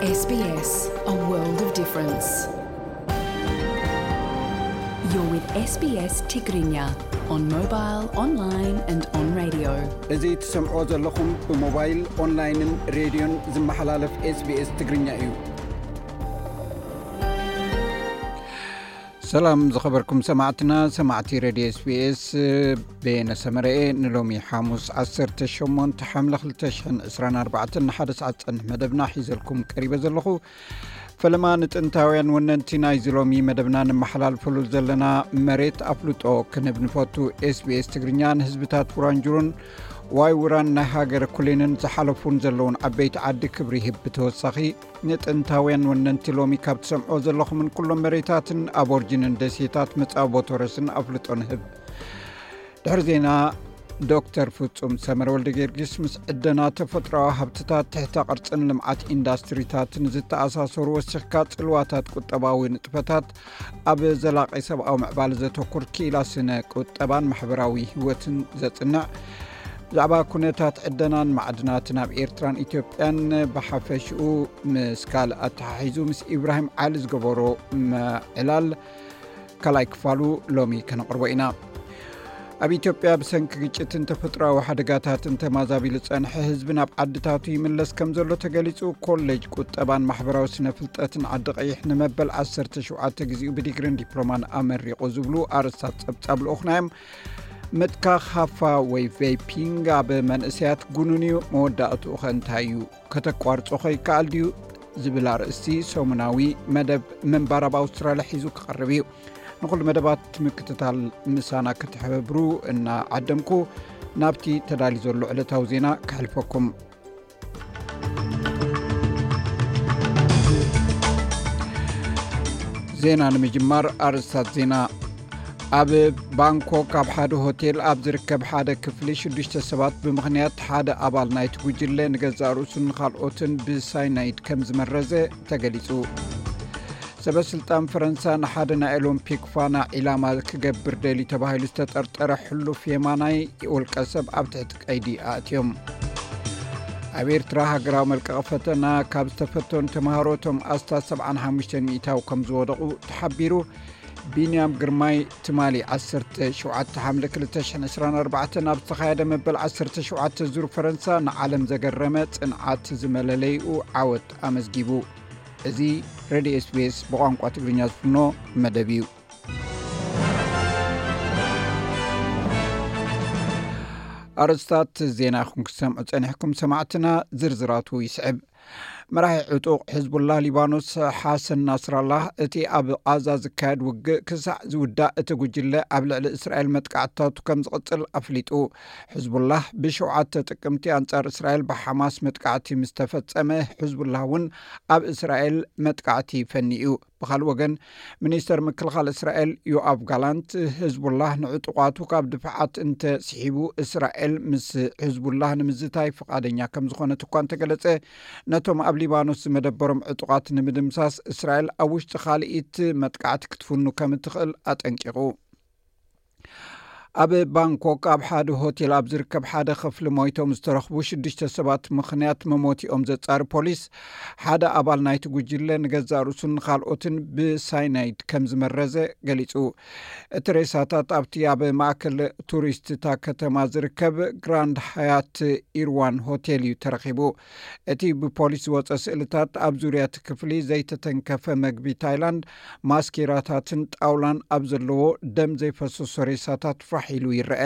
S B S, a world of difference. You're with S B S Tigrinya on mobile, online and on radio. እዚ ትሰምዖ ዘለኹም ብሞባይል፣ ኦንላይንን ሬድዮን ዝመሓላለፍ S B S ትግርኛ እዩ። ሰላም ዝኸበርኩም ሰማዕትና፣ ሰማዕቲ ሬድዮ S B S፣ ቤነ ሰመረኤ ንሎሚ ሓሙስ ዓሰርተ ሸሞንተ ሓምለ ክልተ ሽሕን ዕስራን ኣርባዕተን ንሓደ ሰዓት ዝጸንሕ መደብና ሒዘልኩም ቀሪበ ዘለኹ። ፈለማ ንጥንታውያን ወነንቲ ናይዚ ሎሚ መደብና ንመሓላልፈሉ ዘለና መሬት ኣፍልጦ ክንህብ ንፈቱ። S B S ትግርኛ ንህዝብታት ቡራንጁሩን ዋይ ውራን ናይ ሃገር ኩሌንን ዝሓለፉን ዘለውን ዓበይቲ ዓዲ ክብሪ ይህብ። ብተወሳኺ ንጥንታውያን ወነንቲ ሎሚ ካብ ትሰምዖ ዘለኹምን ኩሎም መሬታትን ኣቦርጅንን ደሴታት መጻቦ ቶረስን ኣፍልጦ ንህብ። ድሕሪ ዜና ዶክተር ፍጹም ሰመረ ወልደ ጊዮርጊስ ምስ ዕደና ተፈጥሮኣዊ ሃብትታት፣ ትሕተ ቅርጽን ልምዓት ኢንዳስትሪታትን ዝተኣሳሰሩ ወሲኽካ ጽልዋታት ቁጠባዊ ንጥፈታት ኣብ ዘላቒ ሰብኣዊ ምዕባለ ዘተኩር ክኢላ ስነ ቁጠባን ማሕበራዊ ህይወትን ዘጽንዕ ብዛዕባ ኩነታት ዕደናን ማዕድናትን ኣብ ኤርትራን ኢትዮጵያን ብሓፈሽኡ ምስ ካልእ ኣተሓሒዙ ምስ ኢብራሂም ዓሊ ዝገበሮ ምዕላል ካልኣይ ክፋሉ ሎሚ ከነቕርቦ ኢና። ኣብ ኢትዮጵያ ብሰንኪ ግጭትን ተፈጥሮኣዊ ሓደጋታትን ተማዛቢሉ ዝጸንሐ ህዝቢ ናብ ዓድታቱ ይምለስ ከም ዘሎ ተገሊጹ። ኮሌጅ ቁጠባን ማሕበራዊ ስነ ፍልጠትን ዓዲ ቀይሕ ንመበል ዓሰርተ ሸውዓተ ግዜኡ ብዲግሪን ዲፕሎማን ኣመሪቑ ዝብሉ ኣርእስታት ጸብጻብ ልኡኽና እዮም። ምትካኽ ሃፋ ወይ ቬይፒንግ ኣብ መንእሰያት ጉኑን እዩ፣ መወዳእትኡ ኸ እንታይ እዩ? ከተቋርጾ ኸ ይከኣል ድዩ? ዝብል ኣርእስቲ ሰሙናዊ መደብ ምንባር ኣብ ኣውስትራልያ ሒዙ ክቐርብ እዩ። ንኹሉ መደባት ምክትታል ምሳና ክትሕብሩ እናዓደምኩ ናብቲ ተዳልዩ ዘሎ ዕለታዊ ዜና ከሕልፈኩም። ዜና ንምጅማር ኣርእስታት ዜና። ኣብ ባንኮክ ኣብ ሓደ ሆቴል ኣብ ዝርከብ ሓደ ክፍሊ ሽዱሽተ ሰባት ብምኽንያት ሓደ ኣባል ናይቲ ጉጅለ ንገዛእ ርእሱን ንኻልኦትን ብሳይናይድ ከም ዝመረዘ ተገሊጹ። ሰበ ስልጣን ፈረንሳ ንሓደ ናይ ኦሎምፒክ ፋና ዒላማ ክገብር ደልዩ ተባሂሉ ዝተጠርጠረ ሕሉፍ የማናይ ውልቀ ሰብ ኣብ ትሕቲ ቀይዲ ኣእትዮም። ኣብ ኤርትራ ሃገራዊ መልቀቒ ፈተና ካብ ዝተፈተኑ ተምሃሮ እቶም ኣስታት ሰብዓን ሓሙሽተን ሚእታዊ ከም ዝወደቑ ተሓቢሩ። ቢንያም ግርማይ ትማሊ ዓሰርተ ሸውዓተ ሓምለ ክልተ ሽሕን ዕስራን ኣርባዕተን ኣብ ዝተኻየደ መበል ዓሰርተ ሸውዓተ ዙር ፈረንሳ ንዓለም ዘገረመ ጽንዓት ዝመለለይኡ ዓወት ኣመዝጊቡ። እዚ ሬድዮ S B S ብቋንቋ ትግርኛ ዝፍኖ መደብ እዩ። ኣርእስታት ዜና ኢኹም ክትሰምዑ ጸኒሕኩም ሰማዕትና፣ ዝርዝራቱ ይስዕብ። መራሒ ዕጡቕ ሕዝቡላህ ሊባኖስ ሓሰን ናስራላህ፣ እቲ ኣብ ቓዛ ዝካየድ ውግእ ክሳዕ ዝውዳእ እቲ ጉጅለ ኣብ ልዕሊ እስራኤል መጥቃዕትታቱ ከም ዝቕጽል ኣፍሊጡ። ሕዝቡላህ ብሸውዓተ ጥቅምቲ ኣንጻር እስራኤል ብሓማስ መጥቃዕቲ ምስ ተፈጸመ፣ ሕዝቡላህ እውን ኣብ እስራኤል መጥቃዕቲ ፈኒ እዩ። ብኻልእ ወገን፣ ሚኒስተር ምክልኻል እስራኤል ዮኣቭ ጋላንት፣ ህዝቡላህ ንዕጡቓቱ ካብ ድፍዓት እንተ ስሒቡ፣ እስራኤል ምስ ህዝቡላህ ንምዝታይ ፍቓደኛ ከም ዝኾነት እኳ እንተገለጸ፣ ነቶም ኣብ ሊባኖስ ዝመደበሮም ዕጡቓት ንምድምሳስ፣ እስራኤል ኣብ ውሽጢ ካልኢት መጥቃዕቲ ክትፍኑ ከም እትኽእል ኣጠንቂቑ። ኣብ ባንኮክ ኣብ ሓደ ሆቴል ኣብ ዝርከብ ሓደ ክፍሊ ሞይቶም ዝተረኽቡ ሽዱሽተ ሰባት ምኽንያት መሞቲኦም ዘጻሪ ፖሊስ፣ ሓደ ኣባል ናይቲ ጉጅለ ንገዛእ ርእሱን ንኻልኦትን ብሳይናይድ ከም ዝመረዘ ገሊጹ። እቲ ሬሳታት ኣብቲ ኣብ ማእከል ቱሪስት እታ ከተማ ዝርከብ ግራንድ ሃያት ኢርዋን ሆቴል እዩ ተረኺቡ። እቲ ብፖሊስ ዝወጸ ስእልታት ኣብ ዙርያ እቲ ክፍሊ ዘይተተንከፈ መግቢ ታይላንድ፣ ማስኬራታትን ጣውላን ኣብ ዘለዎ ደም ዘይፈሰሶ ሬሳታት ፋሕ ኢሉ ይረአ።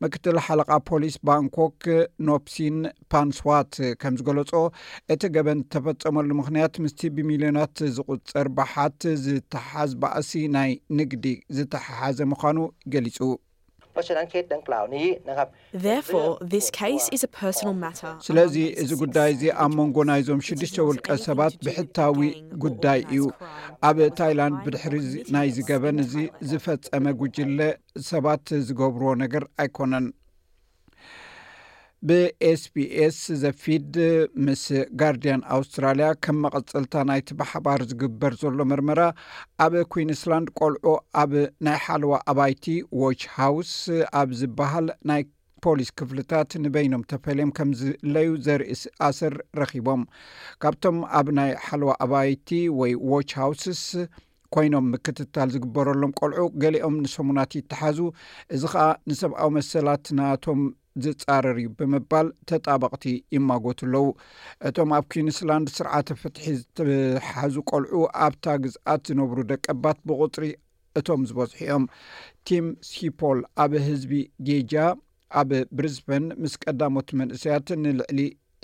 ምክትል ሓለቓ ፖሊስ ባንኮክ ኖፕሲን ፓንስዋት ከም ዝገለጾ፣ እቲ ገበን ዝተፈጸመሉ ምኽንያት ምስቲ ብሚልዮናት ዝቑጸር ባሓት ዝተሓዝ ባእሲ ናይ ንግዲ ዝተሓሓዘ ምዃኑ ገሊጹ። เพราะฉะนั้นเคสดังกล่าวนี้นะครับ Therefore, this case is a personal matter. ስለዚ እዚ ጉዳይ እዚ ኣብ መንጎ ናይዞም ሽዱሽተ ውልቀ ሰባት ብሕታዊ ጉዳይ እዩ። ኣብ ታይላንድ ብድሕሪ ናይዚ ገበን እዚ ዝፈጸመ ጉጅለ ሰባት ዝገብርዎ ነገር ኣይኮነን። ብኤስቢኤስ ዘፊድ ምስ ጋርዲያን ኣውስትራልያ ከም መቐጸልታ ናይቲ ብሓባር ዝግበር ዘሎ መርመራ፣ ኣብ ኩዊንስላንድ ቆልዑ ኣብ ናይ ሓለዋ ኣባይቲ ዎች ሃውስ ኣብ ዝበሃል ናይ ፖሊስ ክፍልታት ንበይኖም ተፈልዮም ከም ዝለዩ ዘርኢ ኣሰር ረኺቦም። ካብቶም ኣብ ናይ ሓለዋ ኣባይቲ ወይ ዎች ሃውስስ ኮይኖም ምክትታል ዝግበረሎም ቆልዑ ገሊኦም ንሰሙናት ይተሓዙ። እዚ ኸኣ ንሰብኣዊ መሰላት ናቶም ዝጻረር እዩ ብምባል ተጣበቕቲ ይማጎቱ ኣለዉ። እቶም ኣብ ኩዊንስላንድ ስርዓተ ፍትሒ ዝተሓዙ ቆልዑ ኣብታ ግዝኣት ዝነብሩ ደቀባት ብቑጽሪ እቶም ዝበዝሑ እዮም። ቲም ሲፖል ኣብ ህዝቢ ጌጃ ኣብ ብሪዝበን ምስ ቀዳሞት መንእሰያት ንልዕሊ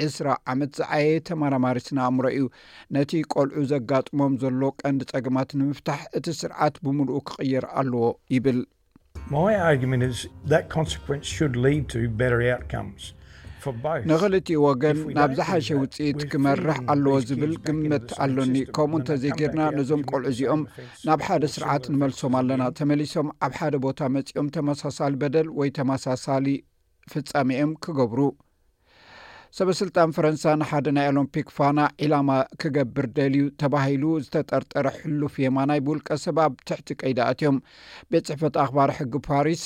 ዕስራ ዓመት ዝዓየየ ተመራማሪ ስነ ኣእምሮ እዩ። ነቲ ቆልዑ ዘጋጥሞም ዘሎ ቀንዲ ጸገማት ንምፍታሕ እቲ ስርዓት ብምሉኡ ክቕየር ኣለዎ ይብል። My argument is that consequence should lead to better outcomes for both. ንኽልቲኡ ወገን ናብ ዝሓሸ ውፅኢት ክመርሕ ኣለዎ ዝብል ግምት ኣሎኒ። ከምኡ እንተዘይጌርና ነዞም ቆልዑ እዚኦም ናብ ሓደ ስርዓት ንመልሶም ኣለና። ተመሊሶም ኣብ ሓደ ቦታ መፂኦም ተመሳሳሊ በደል ወይ ተመሳሳሊ ፍጻሜ እዮም ክገብሩ። ሰበስልጣን ፈረንሳ ንሓደ ናይ ኦሎምፒክ ፋና ዒላማ ክገብር ደልዩ ተባሂሉ ዝተጠርጠረ ሕሉፍ የማናይ ብውልቀ ሰብ ኣብ ትሕቲ ቀይዲ ኣትዮም። ቤት ጽሕፈት ኣኽባሪ ሕጊ ፓሪስ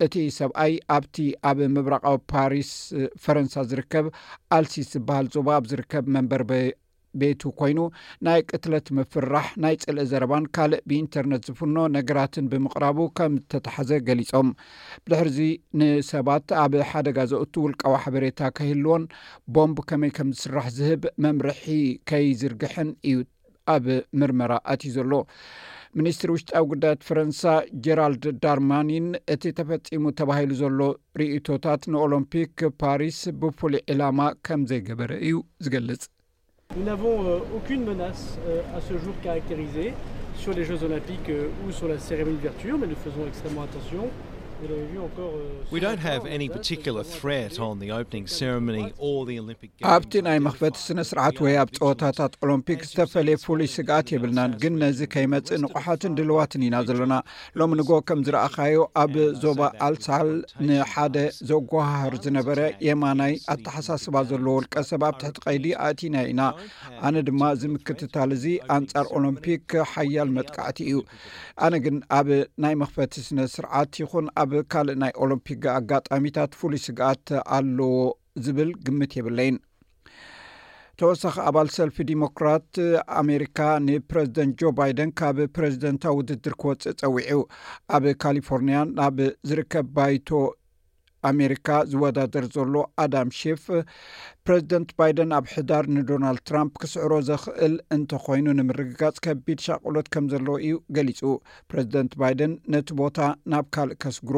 እቲ ሰብኣይ ኣብቲ ኣብ ምብራቓዊ ፓሪስ ፈረንሳ ዝርከብ ኣልሲስ ዝበሃል ዞባ ኣብ ዝርከብ መንበር ቤቱ ኮይኑ ናይ ቅትለት ምፍርራሕ፣ ናይ ጽልኢ ዘረባን ካልእ ብኢንተርነት ዝፍኖ ነገራትን ብምቕራቡ ከም ዝተታሕዘ ገሊጾም። ብድሕርዚ ንሰባት ኣብ ሓደጋ ዘእቱ ውልቃዊ ሓበሬታ ከይህልዎን ቦምብ ከመይ ከም ዝስራሕ ዝህብ መምርሒ ከይዝርግሕን እዩ ኣብ ምርመራ ኣትዩ ዘሎ። ሚኒስትሪ ውሽጣዊ ጉዳያት ፈረንሳ ጀራልድ ዳርማኒን እቲ ተፈጺሙ ተባሂሉ ዘሎ ርእይቶታት ንኦሎምፒክ ፓሪስ ብፍሉይ ዕላማ ከም ዘይገበረ እዩ ዝገልጽ። Nous n'avons euh, aucune menace euh, à ce jour caractérisée sur les Jeux Olympiques euh, ou sur la cérémonie d'ouverture, mais nous faisons extrêmement attention. Vous l'avez vu encore. Euh, We ce don't matin, have on a any date particular extrêmement threat on the opening ceremony or the Olympic Games. ኣብቲ ናይ መኽፈቲ ስነ ስርዓት ወይ ኣብ ፀወታታት ኦሎምፒክ ዝተፈለየ ፍሉይ ስግኣት የብልናን፣ ግን ነዚ ከይመፅእ ንቑሓትን ድልዋትን ኢና ዘለና። ሎሚ ንጎ ከም ዝረኣኻዮ ኣብ ዞባ ኣልሳል ንሓደ ዘጓሃህር ዝነበረ የማናይ ኣተሓሳስባ ዘለዎ ውልቀ ሰብ ኣብ ትሕቲ ቀይዲ ኣእቲና ኢና። ኣነ ድማ እዚ ምክትታል እዚ ኣንጻር ኦሎምፒክ ሓያል መጥቃዕቲ እዩ። ኣነ ግን ኣብ ናይ መኽፈቲ ስነ ስርዓት ይኹን ኣብ ካልእ ናይ ኦሎምፒክ ኣጋጣሚታት ፍሉይ ስግኣት ኣለዎ ዝብል ግምት የብለይን። ተወሳኺ ኣባል ሰልፊ ዲሞክራት ኣሜሪካ ንፕረዚደንት ጆ ባይደን ካብ ፕረዚደንታዊ ውድድር ክወፅእ ፀዊዑ። ኣብ ካሊፎርኒያ ናብ ዝርከብ ባይቶ ኣሜሪካ ዝወዳደር ዘሎ ኣዳም ሼፍ ፕረዚደንት ባይደን ኣብ ሕዳር ንዶናልድ ትራምፕ ክስዕሮ ዘኽእል እንተኾይኑ ንምርግጋፅ ከቢድ ሻቕሎት ከም ዘለዎ እዩ ገሊፁ። ፕረዚደንት ባይደን ነቲ ቦታ ናብ ካልእ ከስግሮ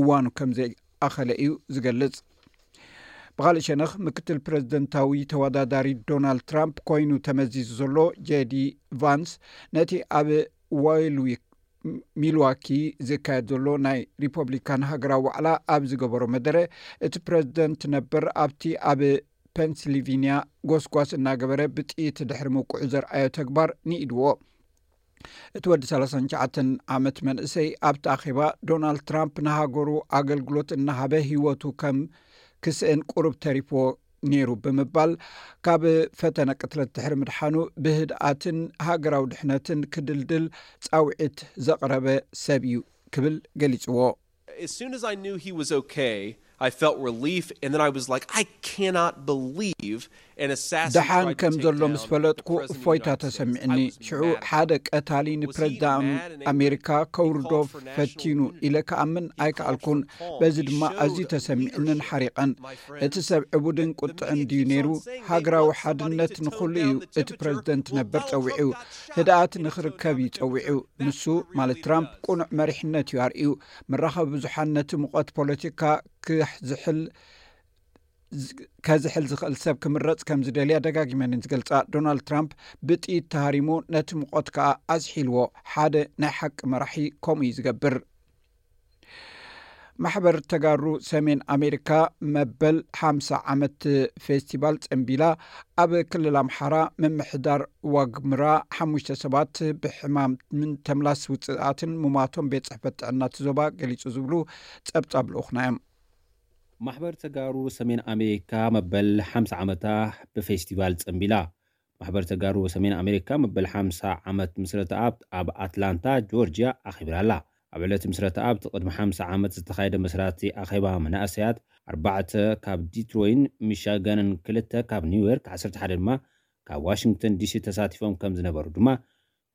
እዋኑ ከም ዘይኣኸለ እዩ ዝገልጽ። ብኻልእ ሸነኽ ምክትል ፕረዚደንታዊ ተወዳዳሪ ዶናልድ ትራምፕ ኮይኑ ተመዚዙ ዘሎ ጄዲ ቫንስ ነቲ ኣብ ዋይልዊክ ሚልዋኪ ዝካየድ ዘሎ ናይ ሪፐብሊካን ሃገራዊ ዋዕላ ኣብ ዝገበሮ መደረ እቲ ፕረዚደንት ነበር ኣብቲ ኣብ ፔንስልቪንያ ጎስጓስ እናገበረ ብጥይት ድሕሪ ምውቅዑ ዘርኣዮ ተግባር ንኢድዎ። እቲ ወዲ ሰላሳን ትሽዓተን ዓመት መንእሰይ ኣብቲ ኣኼባ ዶናልድ ትራምፕ ንሃገሩ ኣገልግሎት እናሃበ ህይወቱ ከም ክስእን ቁሩብ ተሪፍዎ ነይሩ ብምባል ካብ ፈተነ ቅትለት ድሕሪ ምድሓኑ ብህድኣትን ሃገራዊ ድሕነትን ክድልድል ጻውዒት ዘቕረበ ሰብ እዩ ክብል ገሊጽዎ። As soon as I knew he was okay, I felt relief, and then I was like, I cannot believe an assassin ደሓን tried to ከም take ዘሎ down ምስ ፈለጥኩ the president of the እፎይታ United States. ተሰሚዕኒ። I was ሽዑ mad at ሓደ him. ቀታሊ Was he ንፕረዚዳንት mad and angry? ኣሜሪካ ከውርዶ He called for ፈቲኑ national ኢለ ክኣምን ኣይከኣልኩን። በዚ ድማ ኣዝዩ ተሰሚዕንን ሓሪቐን። እቲ ሰብ ዕቡድን ቁጥዕን ድዩ ነይሩ? ሃገራዊ ሓድነት ንኹሉ እዩ እቲ ፕረዚደንት ነበር ጸዊዑ። ህድኣት ንኽርከብ እዩ ጸዊዑ። ንሱ ማለት ትራምፕ ቁኑዕ መሪሕነት እዩ ኣርእዩ። መራኸቢ ብዙሓን ነቲ ሙቐት ፖለቲካ ክዝሕል ከዝሕል ዝኽእል ሰብ ክምረጽ ከም ዝደልያ ደጋጊመን ዝገልጻ ዶናልድ ትራምፕ ብጥይት ተሃሪሙ ነቲ ሙቐት ከኣ ኣዝሒልዎ። ሓደ ናይ ሓቂ መራሒ ከምኡ እዩ ዝገብር። ማሕበር ተጋሩ ሰሜን ኣሜሪካ መበል ሓምሳ ዓመት ፌስቲቫል ጸንቢላ። ኣብ ክልል ኣምሓራ ምምሕዳር ዋግምራ ሓሙሽተ ሰባት ብሕማምን ተምላስ ውፅኣትን ሙማቶም ቤት ጽሕፈት ጥዕና እቲ ዞባ ገሊጹ ዝብሉ ጸብጻብ ልኡኽና እዮም። ማሕበር ተጋሩ ሰሜን ኣሜሪካ መበል ሓምሳ ዓመታ ብፌስቲቫል ጸንቢላ። ማሕበር ተጋሩ ሰሜን ኣሜሪካ መበል ሓምሳ ዓመት ምስረታ ኣብ ኣትላንታ ጆርጅያ ኣኺብራ ኣላ። ኣብ ዕለት ምስረታ ኣብቲ ቅድሚ ሓምሳ ዓመት ዝተኻየደ መስራቲ ኣኼባ መናእሰያት፣ ኣርባዕተ ካብ ዲትሮይን ሚሻጋንን ክልተ ካብ ኒውዮርክ፣ ዓሰርተ ሓደ ድማ ካብ ዋሽንግተን ዲሲ ተሳቲፎም ከም ዝነበሩ ድማ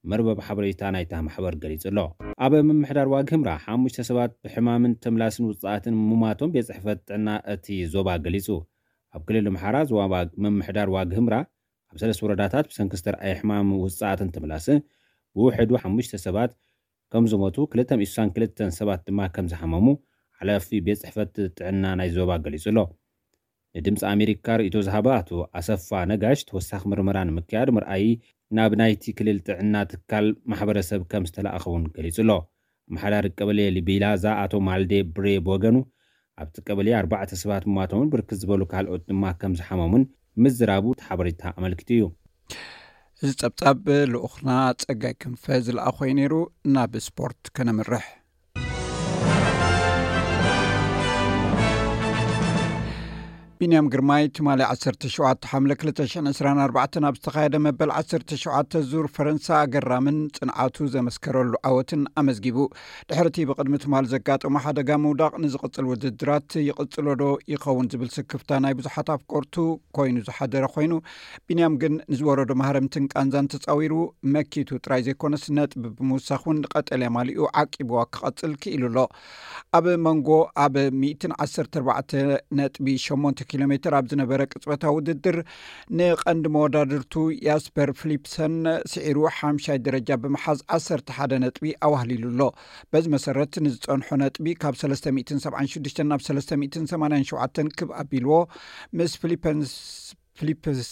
መርበብ ሓበሬታ ናይታ ማሕበር ገሊጹ ኣሎ። ኣብ ምምሕዳር ዋግህምራ ሓሙሽተ ሰባት ብሕማምን ተምላስን ውጽኣትን ምሟቶም ቤት ጽሕፈት ጥዕና እቲ ዞባ ገሊጹ። ኣብ ክልል ኣምሓራ ዞባ ምምሕዳር ዋግህምራ ኣብ ሰለስተ ወረዳታት ብሰንኪ ዝተርኣየ ሕማም ውጽኣትን ተምላስን ብውሕዱ ሓሙሽተ ሰባት ከም ዝሞቱ፣ ክልተ ሚእቲ ስሳን ክልተን ሰባት ድማ ከም ዝሓመሙ ሓላፊ ቤት ጽሕፈት ጥዕና ናይ ዞባ ገሊጹ ኣሎ። ንድምፂ ኣሜሪካ ርእይቶ ዝሃበ ኣቶ ኣሰፋ ነጋሽ፣ ተወሳኺ ምርመራ ንምክያድ ምርኣይ ናብ ናይቲ ክልል ጥዕና ትካል ማሕበረሰብ ከም ዝተላእኸ እውን ገሊጹ ኣሎ። ኣመሓዳሪ ቀበሌ ሊቢላዛ ኣቶ ማልዴ ብሬ ብወገኑ፣ ኣብቲ ቀበሌ ኣርባዕተ ሰባት ምሟቶምን ብርክት ዝበሉ ካልኦት ድማ ከም ዝሓመሙን ምዝራቡ እቲ ሓበሬታ ኣመልኪቱ እዩ። እዚ ጸብጻብ ልኡኽና ጸጋይ ክንፈ ዝለኣኾ እዩ ነይሩ። ናብ ስፖርት ከነምርሕ። ቢንያም ግርማይ ትማሊ ዓሰርተ ሸውዓተ ሓምለ ክልተ ሽሕን ዕስራን ኣርባዕተን ኣብ ዝተኻየደ መበል ዓሰርተ ሸውዓተ ዙር ፈረንሳ ኣገራምን ጽንዓቱ ዘመስከረሉ ዓወትን ኣመዝጊቡ። ድሕሪ እቲ ብቕድሚ ትማሊ ዘጋጠሞ ሓደጋ ምውዳቕ ንዝቕጽል ውድድራት ይቕጽሎ ዶ ይኸውን ዝብል ስክፍታ ናይ ብዙሓት ኣፍቀርቱ ኮይኑ ዝሓደረ ኮይኑ፣ ቢንያም ግን ንዝወረዶ ማህረምትን ቃንዛን ተጻዊሩ መኪቱ ጥራይ ዘይኮነስ ነጥቢ ብምውሳኽ እውን ንቀጠልያ ማሊኡ ዓቂብዋ ክቐጽል ክኢሉ ኣሎ። ኣብ መንጎ ኣብ ሚእትን ዓሰርተ ኣርባዕተ ነጥቢ ሸሞንተ ኪሎ ሜትር ኣብ ዝነበረ ቅጽበታዊ ውድድር ንቐንዲ መወዳድርቱ ያስፐር ፊሊፕሰን ስዒሩ ሓምሻይ ደረጃ ብምሓዝ ዓሰርተ ሓደ ነጥቢ ኣዋህሊሉ ኣሎ። በዚ መሰረት ንዝጸንሖ ነጥቢ ካብ ሰለስተ ሚእትን ሰብዓን ሽዱሽተን ናብ ሰለስተ ሚእትን ሰማንያን ሸውዓተን ክብ ኣቢልዎ፣ ምስ ፊሊፐንስ ፊሊፕስ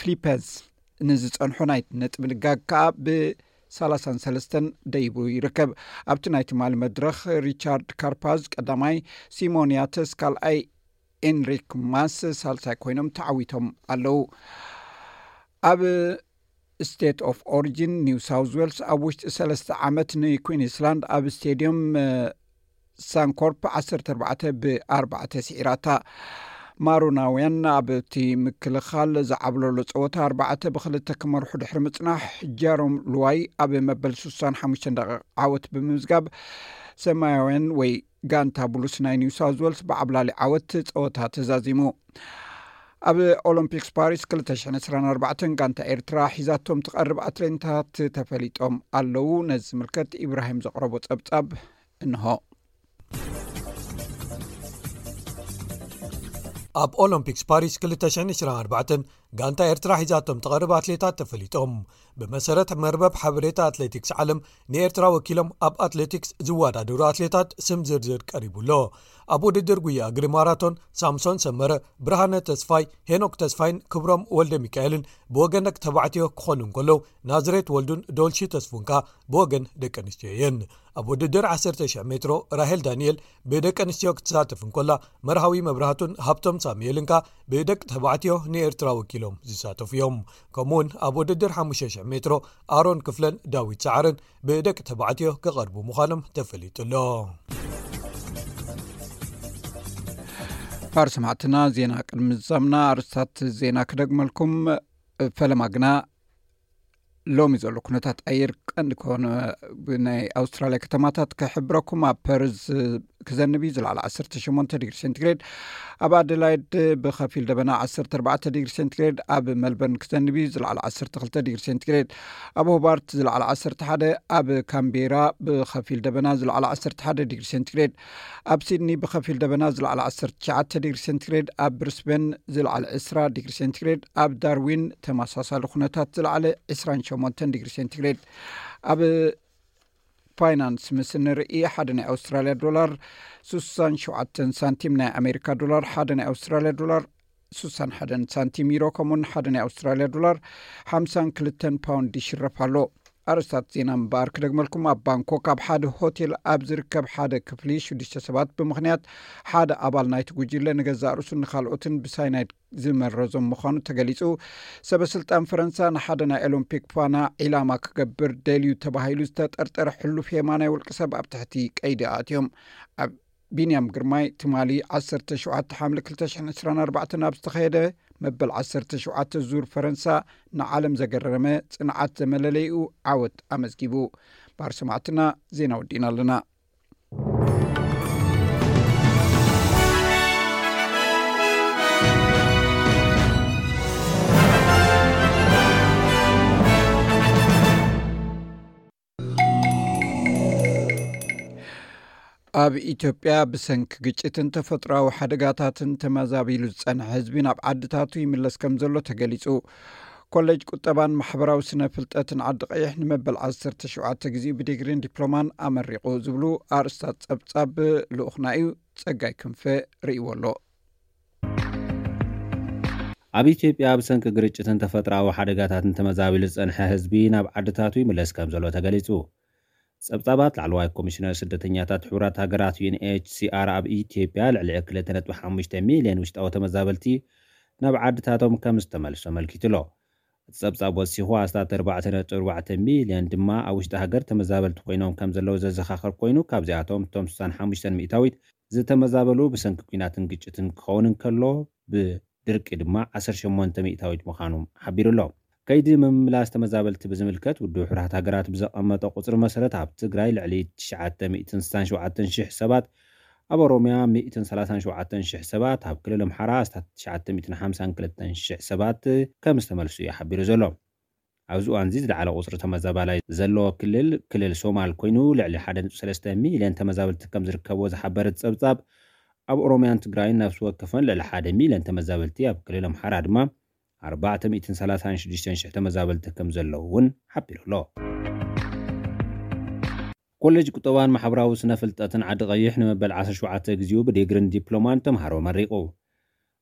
ፊሊፕስ ንዝጸንሖ ናይ ነጥቢ ልጋግ ከኣ ብ ሰላሳን ሰለስተን ደይቡ ይርከብ። ኣብቲ ናይ ትማሊ መድረኽ ሪቻርድ ካርፓዝ ቀዳማይ፣ ሲሞን ያተስ ካልኣይ፣ ኤንሪክ ማስ ሳልሳይ ኮይኖም ተዓዊቶም ኣለዉ። ኣብ ስቴት ኦፍ ኦሪጂን ኒው ሳውዝ ዌልስ ኣብ ውሽጢ ሰለስተ ዓመት ንኩዊንስላንድ ኣብ ስቴድዮም ሳንኮርፕ ዓሰርተ ኣርባዕተ ብኣርባዕተ ስዒራታ። ማሮናውያን ኣብቲ ምክልኻል ዝዓብለሎ ጸወታ ኣርባዕተ ብክልተ ክመርሑ ድሕሪ ምጽናሕ፣ ጃሮም ሉዋይ ኣብ መበል ሱሳን ሓሙሽተን ደቂቕ ዓወት ብምምዝጋብ፣ ሰማያውያን ወይ ጋንታ ብሉስ ናይ ኒው ሳውዝ ዌልስ ብዓብላሊ ዓወት ጸወታ ተዛዚሙ። ኣብ ኦሎምፒክስ ፓሪስ ክልተ ሽሕን ዕስራን ኣርባዕተን ጋንታ ኤርትራ ሒዛቶም ትቐርብ ኣትሌታት ተፈሊጦም ኣለዉ። ነዚ ዝምልከት ኢብራሂም ዘቕረቦ ጸብጻብ እንሆ። ኣብ ኦሎምፒክስ ፓሪስ ክልተ ሽሕን ዕስራን ኣርባዕተን ጋንታ ኤርትራ ሒዛቶም ትቐርብ ኣትሌታት ተፈሊጦም። ብመሰረት መርበብ ሓበሬታ ኣትሌቲክስ ዓለም፣ ንኤርትራ ወኪሎም ኣብ ኣትሌቲክስ ዝወዳደሩ ኣትሌታት ስም ዝርዝር ቀሪቡ ኣሎ። ኣብ ውድድር ጉያ እግሪ ማራቶን ሳምሶን ሰመረ፣ ብርሃነ ተስፋይ፣ ሄኖክ ተስፋይን ክብሮም ወልደ ሚካኤልን ብወገን ደቂ ተባዕትዮ ክኾኑ እንከለዉ፣ ናዝሬት ወልዱን ዶልሺ ተስፉን ከኣ ብወገን ደቂ ኣንስትዮ እየን። ኣብ ውድድር ዓሰርተ ሺሕ ሜትሮ ራሄል ዳንኤል ብደቂ ኣንስትዮ ክትሳተፍ እንከላ፣ መርሃዊ መብራህቱን ሃብቶም ሳሙኤልን ከኣ ብደቂ ተባዕትዮ ንኤርትራ ወኪሎም ዝሳተፉ እዮም። ከምኡውን ኣብ ውድድር ሓሙሽተ ሽሕ ሜትሮ ኣሮን ክፍለን ዳዊት ሰዓርን ብደቂ ተባዕትዮ ክቐርቡ ምዃኖም ተፈሊጡ ኣሎ። ክቡር ሰማዕትና፣ ዜና ቅድሚ ምዛምና ኣርእስታት ዜና ክደግመልኩም። ፈለማ ግና ሎሚ ዘሎ ኩነታት ኣየር ቀንዲ ከሆነ ብናይ ኣውስትራልያ ከተማታት ክሕብረኩም። ኣብ ፐርዝ ክዘንብ እዩ፣ ዝለዓለ ዓሰርተ ሸሞንተ ዲግሪ ሴንቲግሬድ። ኣብ ኣደላይድ ብኸፊል ደበና ዓሰርተ ኣርባዕተ ዲግሪ ሴንቲግሬድ። ኣብ መልበርን ክዘንብ እዩ፣ ዝለዓለ ዓሰርተ ክልተ ዲግሪ ሴንቲግሬድ። ኣብ ሆባርት ዝለዓለ ዓሰርተ ሓደ፣ ኣብ ካምቤራ ብኸፊል ደበና ዝለዓለ ዓሰርተ ሓደ ዲግሪ ሴንቲግሬድ። ኣብ ሲድኒ ብኸፊል ደበና ዝለዓለ ዓሰርተ ትሽዓተ ዲግሪ ሴንቲግሬድ። ኣብ ብሪስበን ዝለዓለ ዕስራ ዲግሪ ሴንቲግሬድ። ኣብ ዳርዊን ተመሳሳሊ ኩነታት ዝለዓለ ዕስራን ሸሞንተን ዲግሪ ሴንቲግሬድ። ኣብ ፋይናንስ ምስ ንርኢ፣ ሓደ ናይ ኣውስትራልያ ዶላር ሱሳን ሸውዓተን ሳንቲም፣ ናይ ኣሜሪካ ዶላር ሓደ ናይ ኣውስትራልያ ዶላር ሱሳን ሓደን ሳንቲም፣ ዩሮ ከምኡውን ሓደ ናይ ኣውስትራልያ ዶላር ሓምሳን ክልተን ፓውንድ ይሽረፍ ኣሎ። ኣርእስታት ዜና እምበኣር ክደግመልኩም። ኣብ ባንኮክ ኣብ ሓደ ሆቴል ኣብ ዝርከብ ሓደ ክፍሊ ሽዱሽተ ሰባት ብምኽንያት ሓደ ኣባል ናይቲ ጉጅለ ንገዛእ ርእሱን ንኻልኦትን ብሳይናይድ ዝመረዞም ምዃኑ ተገሊጹ። ሰበ ስልጣን ፈረንሳ ንሓደ ናይ ኦሎምፒክ ፋና ዒላማ ክገብር ደልዩ ተባሂሉ ዝተጠርጠረ ሕሉፍ የማናይ ውልቂ ሰብ ኣብ ትሕቲ ቀይዲ ኣእትዮም። ኣብ ቢንያም ግርማይ ትማሊ ዓሰርተ ሸውዓተ ሓምለ ክልተ ሽሕን ዕስራን ኣርባዕተን ኣብ ዝተኻየደ መበል ዓሰርተ ሸውዓተ ዙር ፈረንሳ ንዓለም ዘገረመ ጽንዓት ዘመለለይኡ ዓወት ኣመዝጊቡ። ባር ሰማዕትና፣ ዜና ወዲእና ኣለና። ኣብ ኢትዮጵያ ብሰንኪ ግጭትን ተፈጥሮኣዊ ሓደጋታትን ተመዛቢሉ ዝጸንሐ ህዝቢ ናብ ዓድታቱ ይምለስ ከም ዘሎ ተገሊጹ። ኮሌጅ ቁጠባን ማሕበራዊ ስነ ፍልጠትን ዓዲ ቀይሕ ንመበል ዓሰርተ ሸውዓተ ግዜኡ ብዲግሪን ዲፕሎማን ኣመሪቑ ዝብሉ ኣርእስታት ጸብጻብ ልኡኽና እዩ። ጸጋይ ክንፈ ርእይዎ ኣሎ። ኣብ ኢትዮጵያ ብሰንኪ ግርጭትን ተፈጥሮኣዊ ሓደጋታትን ተመዛቢሉ ዝጸንሐ ህዝቢ ናብ ዓድታቱ ይምለስ ከም ዘሎ ተገሊጹ። ጸብጻባት ላዕለዋይ ኮሚሽነር ስደተኛታት ሕቡራት ሃገራት ዩ ኤን ኤች ሲ ኣር ኣብ ኢትዮጵያ ልዕሊ ክልተ ነጥቢ ሓሙሽተ ሚልዮን ውሽጣዊ ተመዛበልቲ ናብ ዓድታቶም ከም ዝተመልሱ ኣመልኪቱ ኣሎ። እቲ ጸብጻብ ወሲኹ ኣስታት ኣርባዕተ ነጥቢ ኣርባዕተ ሚልዮን ድማ ኣብ ውሽጢ ሃገር ተመዛበልቲ ኮይኖም ከም ዘለዉ ዘዘኻኸር ኮይኑ ካብዚኣቶም እቶም ስሳን ሓሙሽተን ሚእታዊት ዝተመዛበሉ ብሰንኪ ኲናትን ግጭትን ክኸውን እንከሎ ብ ድርቂ ድማ ዓሰርተ ሸሞንተ ሚእታዊት ምዃኑ ሓቢሩ ኣሎ። ከይዲ ምምላስ ተመዛበልቲ ብዝምልከት ውድብ ሕቡራት ሃገራት ብዘቐመጠ ቁጽሪ መሰረት ኣብ ትግራይ ልዕሊ ትሽዓተ ሚእትን ስሳን ሸውዓተን ሽሕ ሰባት፣ ኣብ ኦሮምያ ሚእትን ሰላሳን ሸውዓተን ሽሕ ሰባት፣ ኣብ ክልል ኣምሓራ ኣስታት ትሽዓተ ሚእትን ሓምሳን ክልተን ሽሕ ሰባት ከም ዝተመልሱ እዩ ሓቢሩ ዘሎ። ኣብዚ እዋን እዚ ዝለዓለ ቁጽሪ ተመዛባላይ ዘለዎ ክልል ክልል ሶማል ኮይኑ ልዕሊ ሓደ ነጥቢ ሰለስተ ሚልዮን ተመዛበልቲ ከም ዝርከብዎ ዝሓበረ እቲ ጸብጻብ ኣብ ኦሮምያን ትግራይን ነፍሲ ወከፈን ልዕሊ ሓደ ሚልዮን ተመዛበልቲ ኣብ ክልል ኣምሓራ ድማ ኣርባዕተ ሚእትን ሰላሳን ሽዱሽተን ሽሕ ተመዛበልቲ ከም ዘለዉ እውን ሓቢሩ ኣሎ። ኮሌጅ ቁጠባን ማሕበራዊ ስነ ፍልጠትን ዓዲ ቀይሕ ንመበል ዓሰርተ ሸውዓተ ግዜኡ ብዲግሪን ዲፕሎማን ተምሃሮ መሪቑ።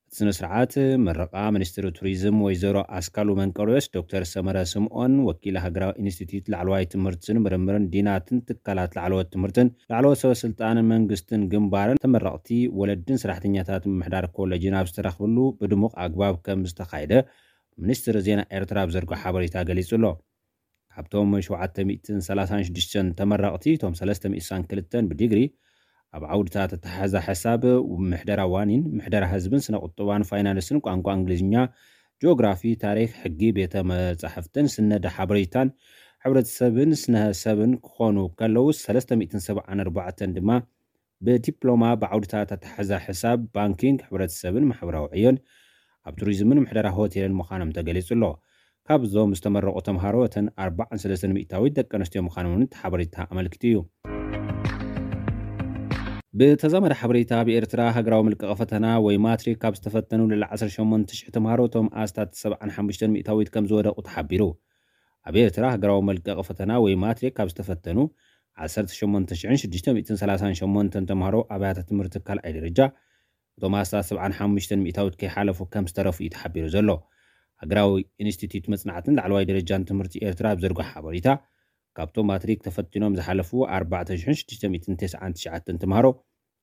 እቲ ስነ ስርዓት ምረቓ ሚኒስትሪ ቱሪዝም ወይዘሮ ኣስካሉ መንቀርዮስ፣ ዶክተር ሰመረ ስምኦን፣ ወኪል ሃገራዊ ኢንስቲትዩት ላዕለዋይ ትምህርትን ምርምርን ዲናትን ትካላት ላዕለዎት ትምህርትን ላዕለዎት ሰበ ስልጣንን መንግስትን ግንባርን ተመረቕቲ ወለድን ሰራሕተኛታት ምምሕዳር ኮሌጅን ኣብ ዝተረኽብሉ ብድሙቕ ኣግባብ ከም ዝተኻየደ ሚኒስትሪ ዜና ኤርትራ ኣብ ዘርግሖ ሓበሬታ ገሊጹ ኣሎ። ካብቶም ሸውዓተ ሚእትን ሰላሳን ሽዱሽተን ተመረቕቲ፣ እቶም ሰለስተ ሚእትን ክልተን ብዲግሪ ኣብ ዓውድታት ኣተሓሕዛ ሕሳብ፣ ምሕደራ ዋኒን፣ ምሕደራ ህዝብን ስነ ቁጠባን ፋይናንስን ቋንቋ እንግሊዝኛ፣ ጂኦግራፊ፣ ታሪኽ፣ ሕጊ፣ ቤተ መጻሕፍትን ስነድ ሓበሬታን ሕብረተሰብን ስነ ሰብን ክኾኑ ከለዉ፣ ሰለስተ ሚእትን ሰብዓን ኣርባዕተን ድማ ብዲፕሎማ ብዓውድታት ኣተሓሕዛ ሕሳብ፣ ባንኪንግ፣ ሕብረተሰብን ማሕበራዊ ዕዮን ኣብ ቱሪዝምን ምሕደራ ሆቴልን ምዃኖም ተገሊጹ ኣሎ። ካብዞም ዝተመረቑ ተምሃሮ እተን ኣርባዓን ሰለስተን ሚእታዊት ደቂ ኣንስትዮ ምዃኖም እውን እቲ ሓበሬታ ኣመልኪቱ እዩ። ብተዛማዲ ሓበሬታ ኣብ ኤርትራ ሃገራዊ መልቀቒ ፈተና ወይ ማትሪክ ካብ ዝተፈተኑ ልዕሊ ዓሰርተ ሸሞንተ ሽሕ ተምሃሮ እቶም ኣስታት ሰብዓን ሓሙሽተን ሚእታዊት ከም ዝወደቑ ተሓቢሩ። ኣብ ኤርትራ ሃገራዊ መልቀቒ ፈተና ወይ ማትሪክ ካብ ዝተፈተኑ ዓሰርተ ሸሞንተ ሽሕን ሽዱሽተ ሚእትን ሰላሳን ሸሞንተን ተምሃሮ ኣብያተ ትምህርቲ ካልኣይ ደረጃ እቶም ኣስታት ሰብዓን ሓሙሽተን ሚእታዊት ከይሓለፉ ከም ዝተረፉ እዩ ተሓቢሩ ዘሎ። ሃገራዊ ኢንስቲትዩት መጽናዕትን ላዕለዋይ ደረጃን ትምህርቲ ኤርትራ ኣብ ዘርግሖ ሓበሬታ፣ ካብቶም ማትሪክ ተፈቲኖም ዝሓለፉ ኣርባዕተ ሽሕን ሽዱሽተ ሚእትን ተስዓን ትሽዓተን ተምሃሮ፣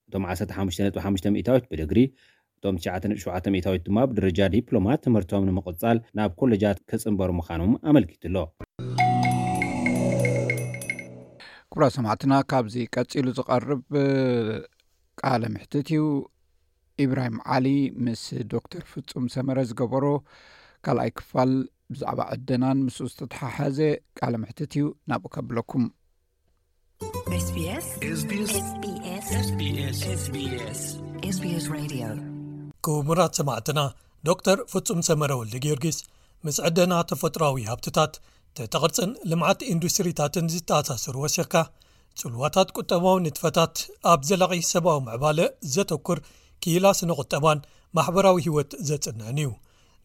እቶም ዓሰርተ ሓሙሽተ ነጥቢ ሓሙሽተ ሚእታዊት ብድግሪ፣ እቶም ትሽዓተ ነጥቢ ሸውዓተ ሚእታዊት ድማ ብደረጃ ዲፕሎማ ትምህርቶም ንምቕጻል ናብ ኮሌጃት ክጽንበሩ ምዃኖም ኣመልኪቱ ኣሎ። ክቡራት ሰማዕትና፣ ካብዚ ቀጺሉ ዝቐርብ ቃለ ምሕትት እዩ። ኢብራሂም ዓሊ ምስ ዶክተር ፍጹም ሰመረ ዝገበሮ ካልኣይ ክፋል ብዛዕባ ዕደናን ምስኡ ዝተተሓሓዘ ቃለ ምሕትት እዩ። ናብኡ ከብለኩም። ኤስ ቢ ኤስ። ኤስ ቢ ኤስ። ኤስ ቢ ኤስ። ኤስ ቢ ኤስ። ኤስ ቢ ኤስ። ኤስ ቢ ኤስ ሬድዮ። ክቡራት ሰማዕትና፣ ዶክተር ፍጹም ሰመረ ወልደ ጊዮርጊስ ምስ ዕደና ተፈጥሮኣዊ ሃብትታት፣ ትሕተ ቅርጽን ልምዓት ኢንዱስትሪታትን ዝተኣሳሰሩ ወሲኽካ፣ ጽልዋታት ቁጠባዊ ንጥፈታት ኣብ ዘላቒ ሰብኣዊ ምዕባለ ዘተኩር ክኢላ ስነ ቁጠባን ማሕበራዊ ህይወት ዘጽንዕን እዩ።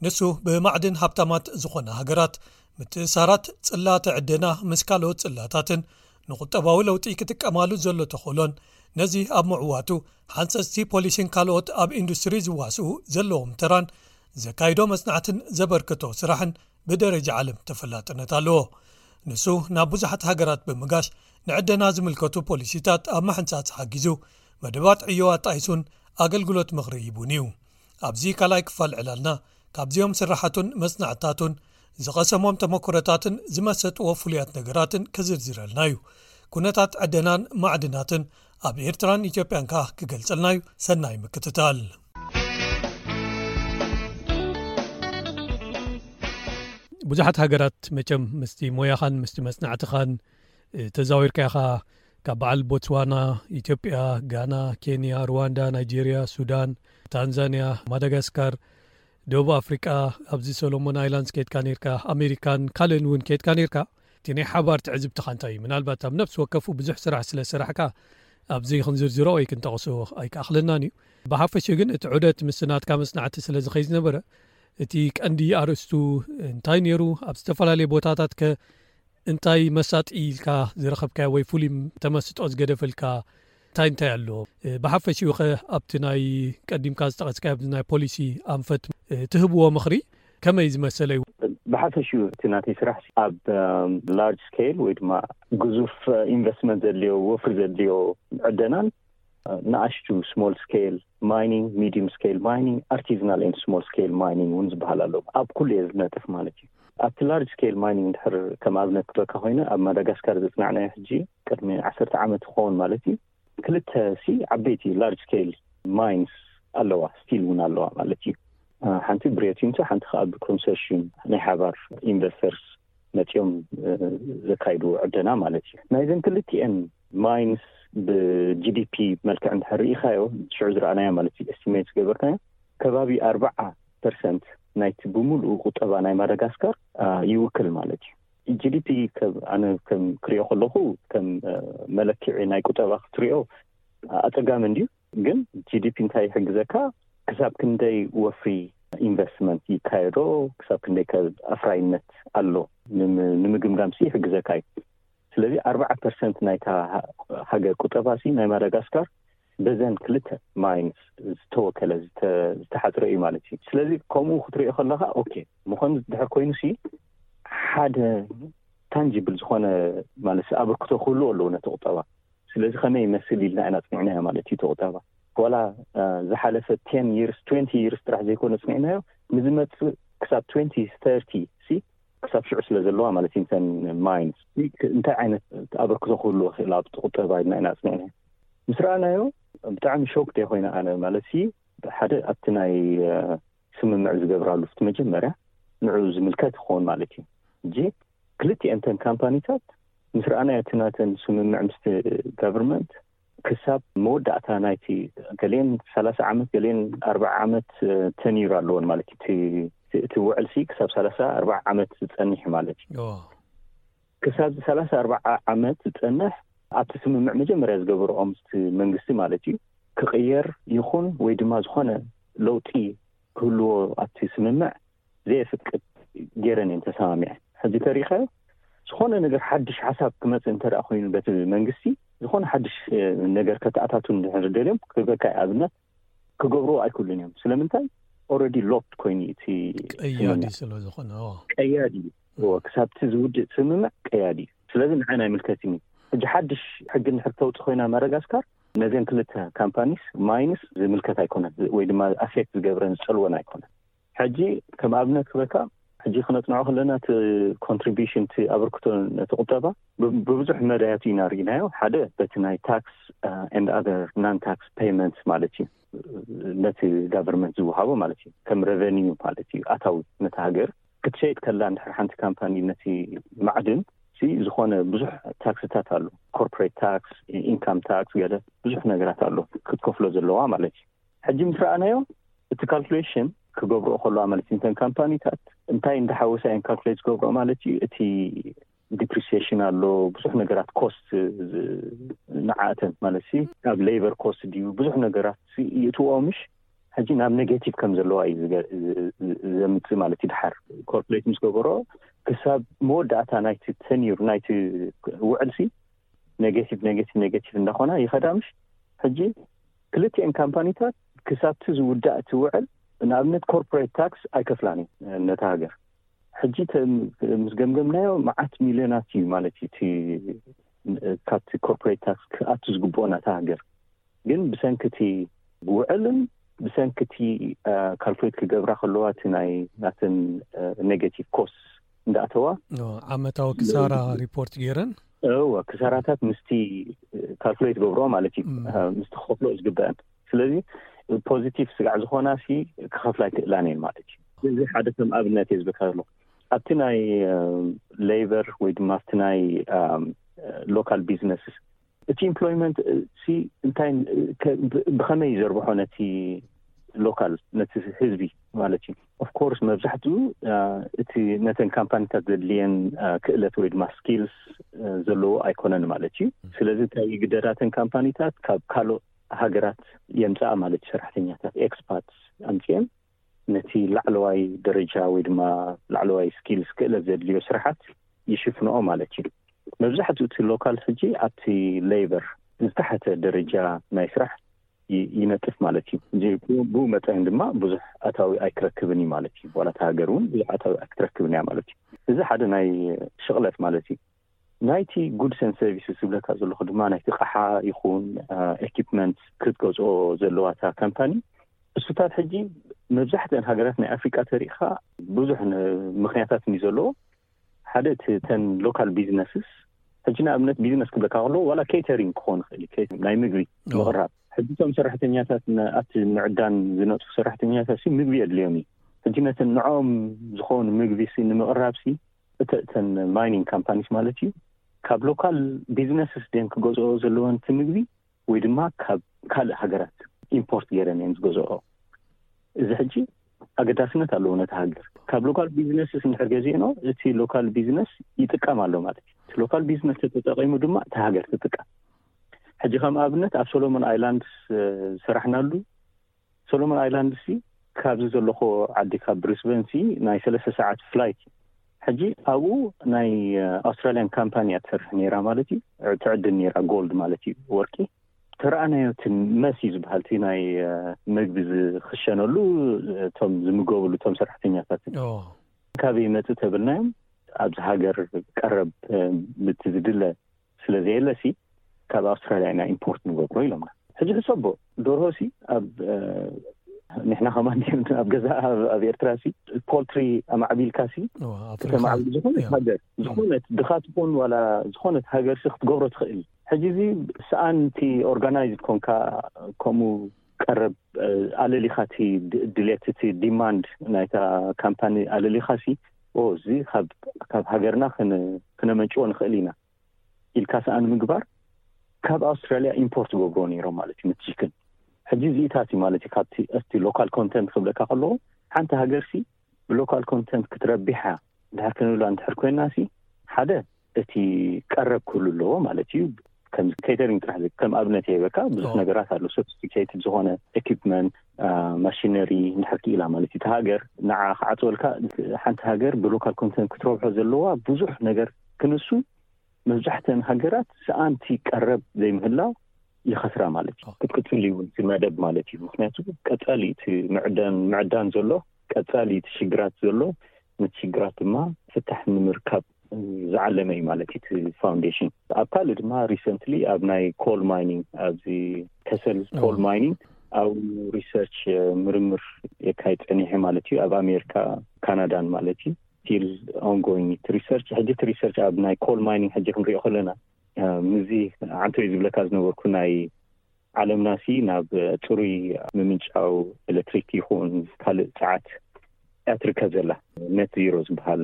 ንሱ ብማዕድን ሃብታማት ዝኾና ሃገራት ምትእሳራት ጽላተ ዕደና ምስ ካልኦት ጽላታትን ንቁጠባዊ ለውጢ ክጥቀማሉ ዘሎ ተኽእሎን ነዚ ኣብ ምዕዋቱ ሓንጸጽቲ ፖሊሲን ካልኦት ኣብ ኢንዱስትሪ ዝዋስኡ ዘለዎም ተራን ዘካይዶ መጽናዕትን ዘበርክቶ ስራሕን ብደረጃ ዓለም ተፈላጥነት ኣለዎ። ንሱ ናብ ብዙሓት ሃገራት ብምጋሽ ንዕደና ዝምልከቱ ፖሊሲታት ኣብ ምሕንጻጽ ሓጊዙ፣ መደባት ዕዮ ኣጣይሱን ኣገልግሎት ምኽሪ ሂቡን እዩ። ኣብዚ ካልኣይ ክፋል ዕላልና ካብዚኦም ስራሓቱን መጽናዕታቱን ዝቐሰሞም ተመክሮታትን ዝመሰጥዎ ፍሉያት ነገራትን ክዝርዝረልና እዩ። ኩነታት ዕደናን ማዕድናትን ኣብ ኤርትራን ኢትዮጵያን ከኣ ክገልጸልና እዩ። ሰናይ ምክትታል። ብዙሓት ሃገራት መቸም ምስቲ ሞያኻን ምስቲ መጽናዕትኻን ተዛዊርካ ኢኻ ካብ በዓል ቦትስዋና፣ ኢትዮጵያ፣ ጋና፣ ኬንያ፣ ሩዋንዳ፣ ናይጄርያ፣ ሱዳን፣ ታንዛንያ፣ ማዳጋስካር፣ ደቡብ ኣፍሪቃ፣ ኣብዚ ሰሎሞን ኣይላንድስ ከድካ ነርካ፣ ኣሜሪካን ካልእን እውን ከድካ ነርካ። እቲ ናይ ሓባር ትዕዝብትኻ እንታይ እዩ? ምናልባት ኣብ ነፍሲ ወከፉ ብዙሕ ስራሕ ስለ ሰራሕካ ኣብዚ ክንዝርዝሮ ወይ ክንጠቕሶ ኣይከኣኽለናን እዩ። ብሓፈሽኡ ግን እቲ ዑደት ምስ ናትካ መጽናዕቲ ስለ ዝኸይ ዝነበረ እቲ ቀንዲ ኣርእስቱ እንታይ ነይሩ? ኣብ ዝተፈላለየ ቦታታት ከ እንታይ መሳጢ ኢልካ ዝረኸብካዮ ወይ ፍሉይ ተመስጦ ዝገደፈልካ እንታይ እንታይ ኣሎ? ብሓፈሽኡ ኸ ኣብቲ ናይ ቀዲምካ ዝጠቐስካዮ ኣብዚ ናይ ፖሊሲ ኣንፈት ትህብዎ ምኽሪ ከመይ ዝመሰለ እዩ? ብሓፈሽኡ እቲ ናተይ ስራሕ ኣብ ላርጅ ስኬል ወይ ድማ ግዙፍ ኢንቨስትመንት ዘድልዮ ወፍሪ ዘድልዮ ዕደናን ንኣሽቱ ስሞል ስኬል ማይኒንግ፣ ሚዲየም ስኬል ማይኒንግ፣ ኣርቲዝናል ኤንድ ስሞል ስኬል ማይኒንግ እውን ዝበሃል ኣሎ። ኣብ ኩሉ እየ ዝነጥፍ ማለት እዩ። ኣብቲ ላርጅ ስኬል ማይኒንግ እንድሕር ከም ኣብነት ክበካ ኮይነ ኣብ ማዳጋስካር ዘፅናዕናዮ ሕጂ ቅድሚ ዓሰርተ ዓመት ክኸውን ማለት እዩ። ክልተ ሲ ዓበይቲ ላርጅ ስኬል ማይንስ ኣለዋ፣ ስቲል እውን ኣለዋ ማለት እዩ። ሓንቲ ብሪዮ ቲንቶ፣ ሓንቲ ከዓ ብኮንሶርሽም ናይ ሓባር ኢንቨስተርስ መፂኦም ዘካይዱ ዕደና ማለት እዩ። ናይዘን ክልቲኤን ማይንስ ብጂዲፒ መልክዕ እንድሕር ርኢኻዮ ሽዑ ዝረኣናዮ ማለት እዩ፣ ኤስቲሜት ዝገበርናዮ ከባቢ ኣርባዓ ፐርሰንት ናይቲ ብምሉኡ ቁጠባ ናይ ማዳጋስካር ይውክል ማለት እዩ። ጂዲፒ ኣነ ከም ክሪኦ ከለኹ ከም መለክዒ ናይ ቁጠባ ክትሪኦ ኣፀጋሚ እንድዩ። ግን ጂዲፒ እንታይ ይሕግዘካ? ክሳብ ክንደይ ወፍሪ ኢንቨስትመንት ይካየዶ፣ ክሳብ ክንደይ ኣፍራይነት ኣሎ ንምግምጋም ሲ ይሕግዘካ እዩ። ስለዚ ኣርባዓ ፐርሰንት ናይታ ሃገር ቁጠባ ሲ ናይ ማዳጋስካር በዘን ክልተ ማይንስ ዝተወከለ ዝተሓፅረ እዩ ማለት እዩ። ስለዚ ከምኡ ክትሪኦ ከለካ ኦኬ ምኾን ድሕር ኮይኑ ሲ ሓደ ታንጂብል ዝኾነ ማለት ኣበርክቶ ክህልዎ ኣለዎ ነቲ ቁጠባ። ስለዚ ከመይ ይመስል ኢልና ኢና ፅኒዕናዮ ማለት እዩ። እቲ ቁጠባ ዋላ ዝሓለፈ ቴን ይርስ ትንቲ ይርስ ጥራሕ ዘይኮነ ፅኒዕናዮ፣ ንዝመፅእ ክሳብ ትንቲ ተርቲ ሲ ክሳብ ሽዑ ስለ ዘለዋ ማለት እዩ። እንተን ማይንስ እንታይ ዓይነት ኣበርክቶ ክህልዎ ክእል ኣብቲ ቁጠባ ኢልና ኢና ፅኒዕናዮ። ምስ ረኣናዮ ብጣዕሚ ሾክ ደ ኮይነ ኣነ ማለት ሲ ሓደ ኣብቲ ናይ ስምምዕ ዝገብራሉ እቲ መጀመርያ ንዑ ዝምልከት ይኸውን ማለት እዩ። እጂ ክልቲኤን እተን ካምፓኒታት ምስ ረኣናዮ እቲ ናተን ስምምዕ ምስቲ ጋቨርንመንት ክሳብ መወዳእታ ናይቲ ገሌን ሰላሳ ዓመት ገሌን ኣርባዓ ዓመት ተኒሩ ኣለዎን ማለት እዩ። እቲ ውዕል ሲ ክሳብ ሰላሳ ኣርባዓ ዓመት ዝፀንሕ ማለት እዩ። ክሳብ ሰላሳ ኣርባዓ ዓመት ዝፀንሕ ኣብቲ ስምምዕ መጀመርያ ዝገበርኦ ምስቲ መንግስቲ ማለት እዩ ክቕየር ይኹን ወይ ድማ ዝኾነ ለውጢ ክህልዎ ኣብቲ ስምምዕ ዘየፍቅድ ገይረን እየን ተሰማሚዐን። ሕጂ ተሪኸ ዝኾነ ነገር ሓድሽ ሓሳብ ክመፅእ እንተ ኮይኑ በቲ መንግስቲ ዝኾነ ሓድሽ ነገር ከተኣታቱ እንድሕር ደልዮም ክበካ ኣብነት ክገብርዎ ኣይክእሉን እዮም። ስለምንታይ? ኦረዲ ሎክድ ኮይኑ እቲ ቀያዲ ስለ ዝኾነ ቀያዲ እዩ። ክሳብቲ ዝውድእ ስምምዕ ቀያዲ እዩ። ስለዚ ንዓይ ናይ ምልከትኒ ሕጂ ሓድሽ ሕጊ እንድሕር ተውፅእ ኮይና ማዳጋስካር ነዘን ክልተ ካምፓኒስ ማይንስ ዝምልከት ኣይኮነን ወይ ድማ ኣፌክት ዝገብረን ዝፀልወን ኣይኮነን። ሕጂ ከም ኣብነት ክበካ ሕጂ ክነፅንዖ ከለና እቲ ኮንትሪቢሽን እቲ ኣበርክቶ ነቲ ቁጠባ ብብዙሕ መዳያት ኢና ርኢናዮ። ሓደ በቲ ናይ ታክስ ኤንድ ኣዘር ናን ታክስ ፔይመንት ማለት እዩ፣ ነቲ ጋቨርንመንት ዝወሃቦ ማለት እዩ፣ ከም ሬቨኒዩ ማለት እዩ፣ ኣታዊ ነቲ ሃገር ክትሸይጥ ከላ እንድሕር ሓንቲ ካምፓኒ ነቲ ማዕድን ሲ ዝኾነ ብዙሕ ታክስታት ኣሎ፣ ኮርፖሬት ታክስ፣ ኢንካም ታክስ፣ ገለ ብዙሕ ነገራት ኣሎ ክትከፍሎ ዘለዋ ማለት እዩ። ሕጂ ምስ ረኣናዮ እቲ ካልኩሌሽን ክገብርኦ ከለዋ ማለት እዩ፣ እንተን ካምፓኒታት እንታይ እንዳሓወሳ እየን ካልኩሌት ዝገብርኦ ማለት እዩ። እቲ ዲፕሪሲሽን ኣሎ፣ ብዙሕ ነገራት ኮስት ንዓእተን ማለት ሲ ኣብ ሌበር ኮስት ድዩ ብዙሕ ነገራት ይእትዎ ምሽ ሕጂ ናብ ኔጌቲቭ ከም ዘለዋ እዩ ዘምፅእ ማለት እዩ። ድሓር ኮርኩሌት ምስ ገበሮ ክሳብ መወዳእታ ናይቲ ተኒር ናይቲ ውዕል ሲ ኔጌቲቭ ኔጌቲቭ ኔጌቲቭ እንዳኾና ይኸዳ ምሽ። ሕጂ ክልቲኤን ካምፓኒታት ክሳብቲ ዝውዳእ እቲ ውዕል ንኣብነት ኮርፖሬት ታክስ ኣይከፍላን እዩ ነታ ሃገር። ሕጂ ምስ ገምገምናዮ መዓት ሚልዮናት እዩ ማለት እዩ እቲ ካብቲ ኮርፖሬት ታክስ ክኣቱ ዝግብኦ ናታ ሃገር። ግን ብሰንክቲ ውዕልን ብሰንክቲ ካልኩሌት ክገብራ ከለዋ እቲ ናይ ናተን ኔጌቲቭ ኮስት እንዳእተዋ ዓመታዊ ክሳራ ሪፖርት ገይረን እወ ክሳራታት ምስቲ ካልኩሌት ገብሮ ማለት እዩ ምስቲ ክኸፍሎ ዝግበአን። ስለዚ ፖዚቲቭ ስጋዕ ዝኾና ሲ ክኸፍላ ይክእላን እየን ማለት እዩ። እዚ ሓደ ከም ኣብነት እየ ዝበካ ዘሎ። ኣብቲ ናይ ሌበር ወይ ድማ ኣብቲ ናይ local businesses። እቲ employment ሲ እንታይ፣ ብኸመይ ዘርብሖ ነቲ local፣ ነቲ ህዝቢ ማለት እዩ። Of course መብዛሕትኡ እቲ ነተን ካምፓኒታት ዘድልየን ክእለት ወይ ድማ skills ዘለዎ ኣይኮነን ማለት እዩ። ስለዚ እንታይ ይግደዳ? እተን ካምፓኒታት ካብ ካልኦት ሃገራት የምፅኣ ማለት እዩ። ሰራሕተኛታት፣ expats ኣምፅኤን ነቲ ላዕለዋይ ደረጃ ወይ ድማ ላዕለዋይ skills፣ ክእለት ዘድልዮ ስራሓት ይሽፍንኦ ማለት እዩ። መብዛሕትኡ እቲ local ሕጂ ኣብቲ labour ዝተሓተ ደረጃ ናይ ስራሕ ይነጥፍ ማለት እዩ። ብኡ መጠን ድማ ብዙሕ ኣታዊ ኣይክረክብን እዩ ማለት እዩ። ዋላ እቲ ሃገር እውን ብዙሕ ኣታዊ ኣይክትረክብን እያ ማለት እዩ። እዚ ሓደ ናይ ሽቕለት ማለት እዩ። ናይቲ goods and services ዝብለካ ዘለኹ ድማ ናይቲ ቃሓ ይኹን equipment ክትገዝኦ ዘለዋ እታ ካምፓኒ፣ እሱታት ሕጂ መብዛሕትአን ሃገራት ናይ ኣፍሪቃ ተሪእኻ ብዙሕ ምክንያታት እዩ ዘለዎ። ሓደ እቲ ተን local businesses፣ ሕጂ ንኣብነት ቢዝነስ ክብለካ ከለዎ ዋላ catering ክኾን ይኽእል እዩ፣ ናይ ምግቢ ምቕራብ። ሕጂ እቶም ሰራሕተኛታት፣ ኣብቲ ምዕዳን ዝነጥፉ ሰራሕተኛታት ሲ ምግቢ የድልዮም እዩ። ሕጂ ነተን ንዕኦም ዝኾኑ ምግቢ ሲ ንምቕራብ ሲ እተን mining companies ማለት እዩ፣ ካብ local businesses ድየን ክገዝኦ ዘለወን እቲ ምግቢ ወይ ድማ ካብ ካልእ ሃገራት import ገይረን እየን ዝገዝኦ? እዚ ሕጂ ኣገዳስነት ኣለዎ ነቲ ሃገር። ካብ local businesses እንድሕር ገዚእኖ እቲ local business ይጥቀም ኣሎ ማለት እዩ። እቲ local business ተጠቂሙ ድማ እቲ ሃገር ትጥቀም። ሕጂ ከም ኣብነት ኣብ Solomon Islands ዝሰራሕናሉ፣ Solomon Islands ሲ ካብዚ ዘለኹ ዓዲ ካብ ብሪስበን ሲ ናይ ሰለስተ ሰዓት flight እዩ። ሕጂ ኣብኡ ናይ ኣውስትራልያን ካምፓኒ እያ ትሰርሕ ነይራ ማለት እዩ። ትዕድን ነይራ፣ ጎልድ ማለት እዩ፣ ወርቂ። ተረኣናዮ እቲ መሲ ዝበሃል እቲ ናይ መግቢ ዝኽሸነሉ፣ እቶም ዝምገቡሉ እቶም ሰራሕተኛታት ካበይ ይመጽእ ተብልናዮም፣ ኣብዚ ሃገር ቀረብ ምት ዝድለ ስለ ዘየለ ሲ ካብ ኣውስትራልያ ኢና import ንገብሮ ኢሎምና። ሕጂ ሕሰቦ፣ ደርሆ ሲ ኣብ ንሕና ከማን ኣብ ገዛ ኣብ ኤርትራ ሲ poultry ኣማዕቢልካ ሲ ተማዕቢል ዝኾነት ሃገር፣ ዝኾነት ድኻ ትኾን ዋላ ዝኾነት ሃገር ሲ ክትገብሮ ትኽእል። ሕጂ እዚ ሰኣን እቲ organized ኮንካ ከምኡ ቀረብ ኣለሊኻ እቲ ድሌት፣ እቲ demand ናይታ ካምፓኒ ኣለሊኻ ሲ እዚ ካብ ሃገርና ክነመንጭዎ ንኽእል ኢና ኢልካ ሰኣን ምግባር፣ ካብ ኣውስትራልያ import ገብሮ ነይሮም ማለት እዩ። ምትሽክን ሕጂ እዚኢታት እዩ ማለት እዩ። ካብቲ እቲ local content ክብለካ ከለዎ ሓንቲ ሃገር ሲ ብ local content ክትረቢሓ ድሕር ክንብላ እንድሕር ኮይና ሲ ሓደ እቲ ቀረብ ክህሉ ኣለዎ ማለት እዩ። ከም catering ጥራሕ ከም ኣብነት የበካ ብዙሕ ነገራት ኣሎ። Sophisticated ዝኾነ equipment፣ machinery እንድሕር ክኢላ ማለት እዩ። እቲ ሃገር ንዓ ክዓፅወልካ ሓንቲ ሃገር ብ local content ክትረብሖ ዘለዋ ብዙሕ ነገር ክንሱ መብዛሕተን ሃገራት ሰኣንቲ ቀረብ ዘይምህላው ይኸስራ ማለት እዩ። ክትቅፅል እውን እቲ መደብ ማለት እዩ። ምክንያቱ ቀፃሊ እቲ ምዕዳን ዘሎ ቀፃሊ እቲ ሽግራት ዘሎ ነቲ ሽግራት ድማ ፍታሕ ንምርካብ ዝዓለመ እዩ ማለት እቲ foundation። ኣብ ካልእ ድማ recently ኣብ ናይ coal mining፣ ኣብዚ ከሰል coal mining ኣብ research ምርምር የካይድ ፀኒሐ ማለት እዩ። ኣብ ኣሜሪካ፣ ካናዳን ማለት እዩ። Still ongoing እቲ research። ሕጂ እቲ research ኣብ ናይ coal mining ሕጂ ክንሪኦ ከለና ምዚ ዓንቶይ ዝብለካ ዝነበርኩ ናይ ዓለምና ሲ ናብ ፅሩይ ምምንጫው ኤሌክትሪክ ይኹን ካልእ ፀዓት እያ ትርከብ ዘላ፣ net zero ዝበሃል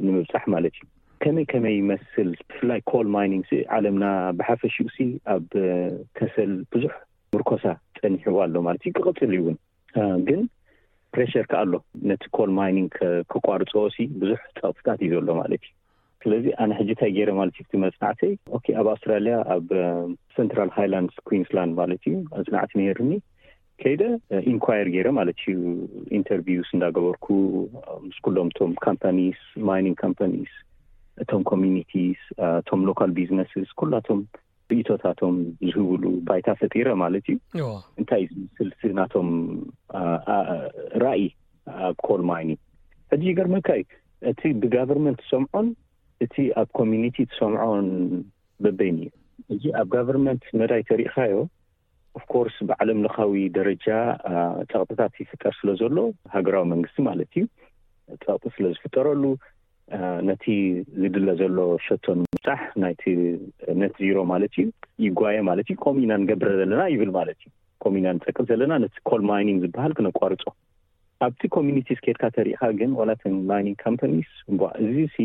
ንምብፃሕ ማለት እዩ። ከመይ ከመይ ይመስል? ብፍላይ coal mining ሲ ዓለምና ብሓፈሽኡ ሲ ኣብ ከሰል ብዙሕ ምርኮሳ ፀኒሕዋ ኣሎ ማለት እዩ። ክቕፅል እዩ እውን፣ ግን pressure ከ ኣሎ ነቲ coal mining ከቋርፅዎ ሲ ብዙሕ ፀቕጥታት እዩ ዘሎ ማለት እዩ። ስለዚ ኣነ ሕጂ እንታይ ገይረ ማለት እዩ፣ እቲ መፅናዕተይ ኦኬ ኣብ ኣውስትራልያ ኣብ Central Highlands Queensland ማለት እዩ መፅናዕቲ ነይርኒ። ከይደ inquire ገይረ ማለት እዩ፣ interviews እንዳገበርኩ ምስ ኩሎም እቶም companies፣ mining companies፣ እቶም communities፣ እቶም local businesses ኩላቶም ርእቶታቶም ዝህብሉ ባይታ ፈጢረ ማለት እዩ። እንታይ እዩ ዝመስል እቲ ናቶም ራእይ ኣብ coal mining? ሕጂ ይገርመካ እዩ፣ እቲ ብ government ትሰምዖን እቲ ኣብ community ትሰምዖን በበይን እዩ። እዚ ኣብ government መዳይ ተሪእኻዮ፣ of course ብዓለም ለኻዊ ደረጃ ፀቕጥታት ይፍጠር ስለ ዘሎ፣ ሃገራዊ መንግስቲ ማለት እዩ፣ ፀቕጢ ስለ ዝፍጠረሉ ነቲ ዝድለ ዘሎ ሸቶ ንምብፃሕ ናይቲ net zero ማለት እዩ ይጓየ ማለት እዩ። ከምኡ ኢና ንገብረ ዘለና ይብል ማለት እዩ። ከምኡ ኢና ንፀቅጥ ዘለና ነቲ coal mining ዝበሃል ክነቋርፆ። ኣብቲ communities ከድካ ተሪእካ ግን ዋላ እተን mining companies እምቧ እዚ ሲ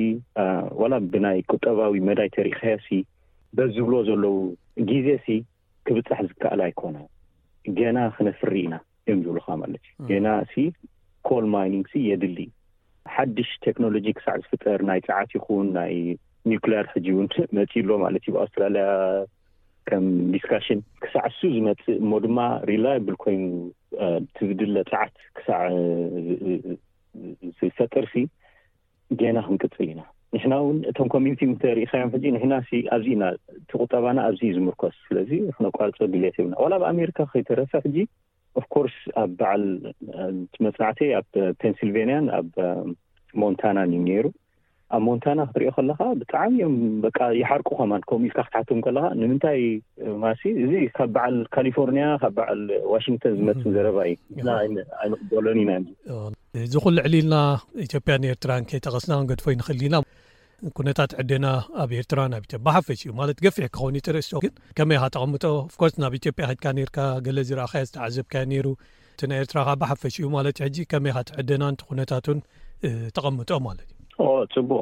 ዋላ ብናይ ቁጠባዊ መዳይ ተሪእካዮ ሲ በዚ ዝብሎ ዘለዉ ግዜ ሲ ክብጻሕ ዝከኣል ኣይኮነ። ገና ክነፍሪ ኢና እዮም ዝብሉኻ ማለት እዩ። ገና ሲ ኮል ማይኒንግ ሲ የድሊ። ሓድሽ ቴክኖሎጂ ክሳዕ ዝፍጠር፣ ናይ ጸዓት ይኹን ናይ ኒውክሊየር ሕጂ እውን መጺኡ ኣሎ ማለት እዩ። ብኣውስትራልያ ከም ዲስካሽን ክሳዕ እሱ ዝመጽእ እሞ ድማ ሪላይብል ኮይኑ እቲ ዝድለ ጸዓት ክሳዕ ዝፈጥር ሲ ገና ክንቅጽል ኢና። ንሕና እውን እቶም ኮሚኒቲ እንተሪኢኻዮም ሕጂ ንሕና ሲ ኣብዚ ኢና፣ እቲ ቁጠባና ኣብዚ እዩ ዝምርኮስ። ስለዚ ክነቋርጾ ድሌት የብልና። ዋላ ኣብ ኣሜሪካ ከይተረፈ ሕጂ ኦፍኮርስ ኣብ በዓል መጽናዕተይ ኣብ ፔንሲልቬንያን ኣብ ሞንታናን እዩ ነይሩ። ኣብ ሞንታና ክትሪኦ ከለኻ ብጣዕሚ እዮም በቃ ይሓርቁ። ከማን ከምኡ ኢልካ ክትሓቶም ከለኻ ንምንታይ ማሲ እዚ ካብ በዓል ካሊፎርኒያ ካብ በዓል ዋሽንግተን ዝመጽእ ዘረባ እዩ። ንሕና ኣይንቕበሎን ኢና። እዚ ኩሉ ዕሊልና ኢትዮጵያን ኤርትራን ከይጠቐስና ክንገድፎ ይንኽእል ኢና። ኩነታት ዕደና ኣብ ኤርትራ ናብ ኢትዮጵያ ብሓፈሽ እዩ ማለት ገፊሕ ክኸውን ይትርእስቶ ግን ከመይ ኢኻ ተቐምጦ? ኦፍኮርስ ናብ ኢትዮጵያ ከድካ ነርካ ገለ ዝረኣኻዮ ዝተዓዘብካዮ ነይሩ። እቲ ናይ ኤርትራ ከዓ ብሓፈሽ እዩ ማለት ሕጂ ከመይ ኢኻ እቲ ዕደናን እቲ ኩነታቱን ተቐምጦ ማለት እዩ? ጽቡቅ።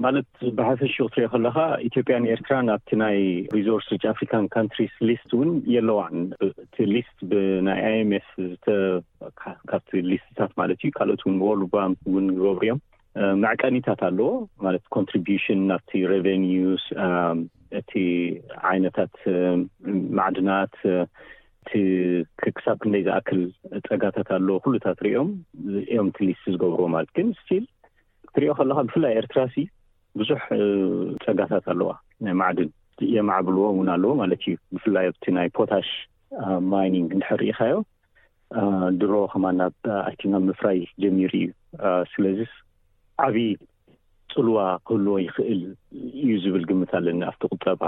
ማለት ብሓፈሽ ክትሪኦ ከለካ ኢትዮጵያን ኤርትራን ኣብቲ ናይ ሪሶርስ ሪች ኣፍሪካን ካንትሪስ ሊስት እውን የለዋን። እቲ ሊስት ብናይ ኣይኤምኤፍ ካብቲ ሊስትታት ማለት እዩ። ካልኦት እውን ወርልድ ባንክ እውን ይገብሩ እዮም። መዕቀኒታት ኣለዎ ማለት ኮንትሪቢሽን ናብቲ ሬቨኒዩስ፣ እቲ ዓይነታት ማዕድናት፣ እቲ ክሳብ ክንደይ ዝኣክል ጸጋታት ኣለዎ ኩሉታት ሪኦም እዮም እቲ ሊስት ዝገብርዎ ማለት። ግን ስቲል ክትሪኦ ከለካ ብፍላይ ኤርትራ ሲ ብዙሕ ጸጋታት ኣለዋ ናይ ማዕድን የማዕብልዎ እውን ኣለዎ ማለት እዩ። ብፍላይ ኣብቲ ናይ ፖታሽ ማይኒንግ እንድሕር ርኢኻዮ ድሮ ከማን ናብ ኣይ ቲንክ ኣብ ምፍራይ ጀሚሩ እዩ። ስለዚስ ዓብዪ ጽልዋ ክህልዎ ይኽእል እዩ ዝብል ግምት ኣለኒ ኣብቲ ቁጠባ።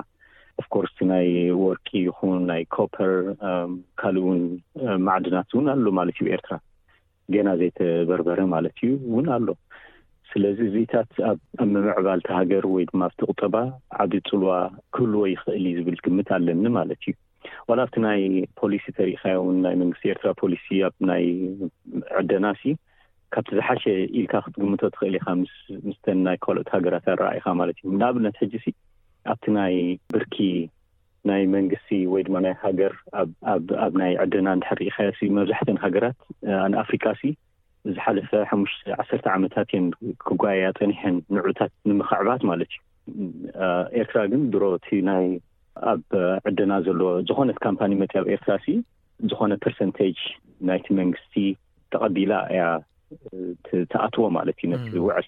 ኦፍኮርስ ናይ ወርቂ ይኹን ናይ ኮፐር ካልእ እውን ማዕድናት እውን ኣሎ ማለት እዩ። ኤርትራ ገና ዘይተበርበረ ማለት እዩ እውን ኣሎ። ስለዚ እዚታት ኣብ ምምዕባል ሃገር ወይ ድማ ኣብቲ ቁጠባ ዓብዪ ጽልዋ ክህልዎ ይኽእል እዩ ዝብል ግምት ኣለኒ ማለት እዩ። ዋላ ኣብቲ ናይ ፖሊሲ ተሪኢኻዮ እውን ናይ መንግስቲ ኤርትራ ፖሊሲ ኣብ ናይ ዕደና ሲ ካብቲ ዝሓሸ ኢልካ ክትግምቶ ትኽእል ኢኻ ምስ ምስተን ናይ ካልኦት ሃገራት ኣረኣኢኻ ማለት እዩ። ንኣብነት ሕጂ ሲ ኣብቲ ናይ ብርኪ ናይ መንግስቲ ወይ ድማ ናይ ሃገር ኣብ ናይ ዕደና እንድሕር ርኢኻዮ ሲ መብዛሕተን ሃገራት ንኣፍሪቃ ሲ ዝሓለፈ ሓሙሽተ ዓሰርተ ዓመታት እየን ክጓየያ ጸኒሐን ንዑታት ንምኽዕባት ማለት እዩ። ኤርትራ ግን ድሮ እቲ ናይ ኣብ ዕደና ዘሎ ዝኾነት ካምፓኒ መጽያ ኣብ ኤርትራ ሲ ዝኾነ ፐርሰንቴጅ ናይቲ መንግስቲ ተቐቢላ እያ ትኣትዎ ማለት እዩ ነቲ ውዕል።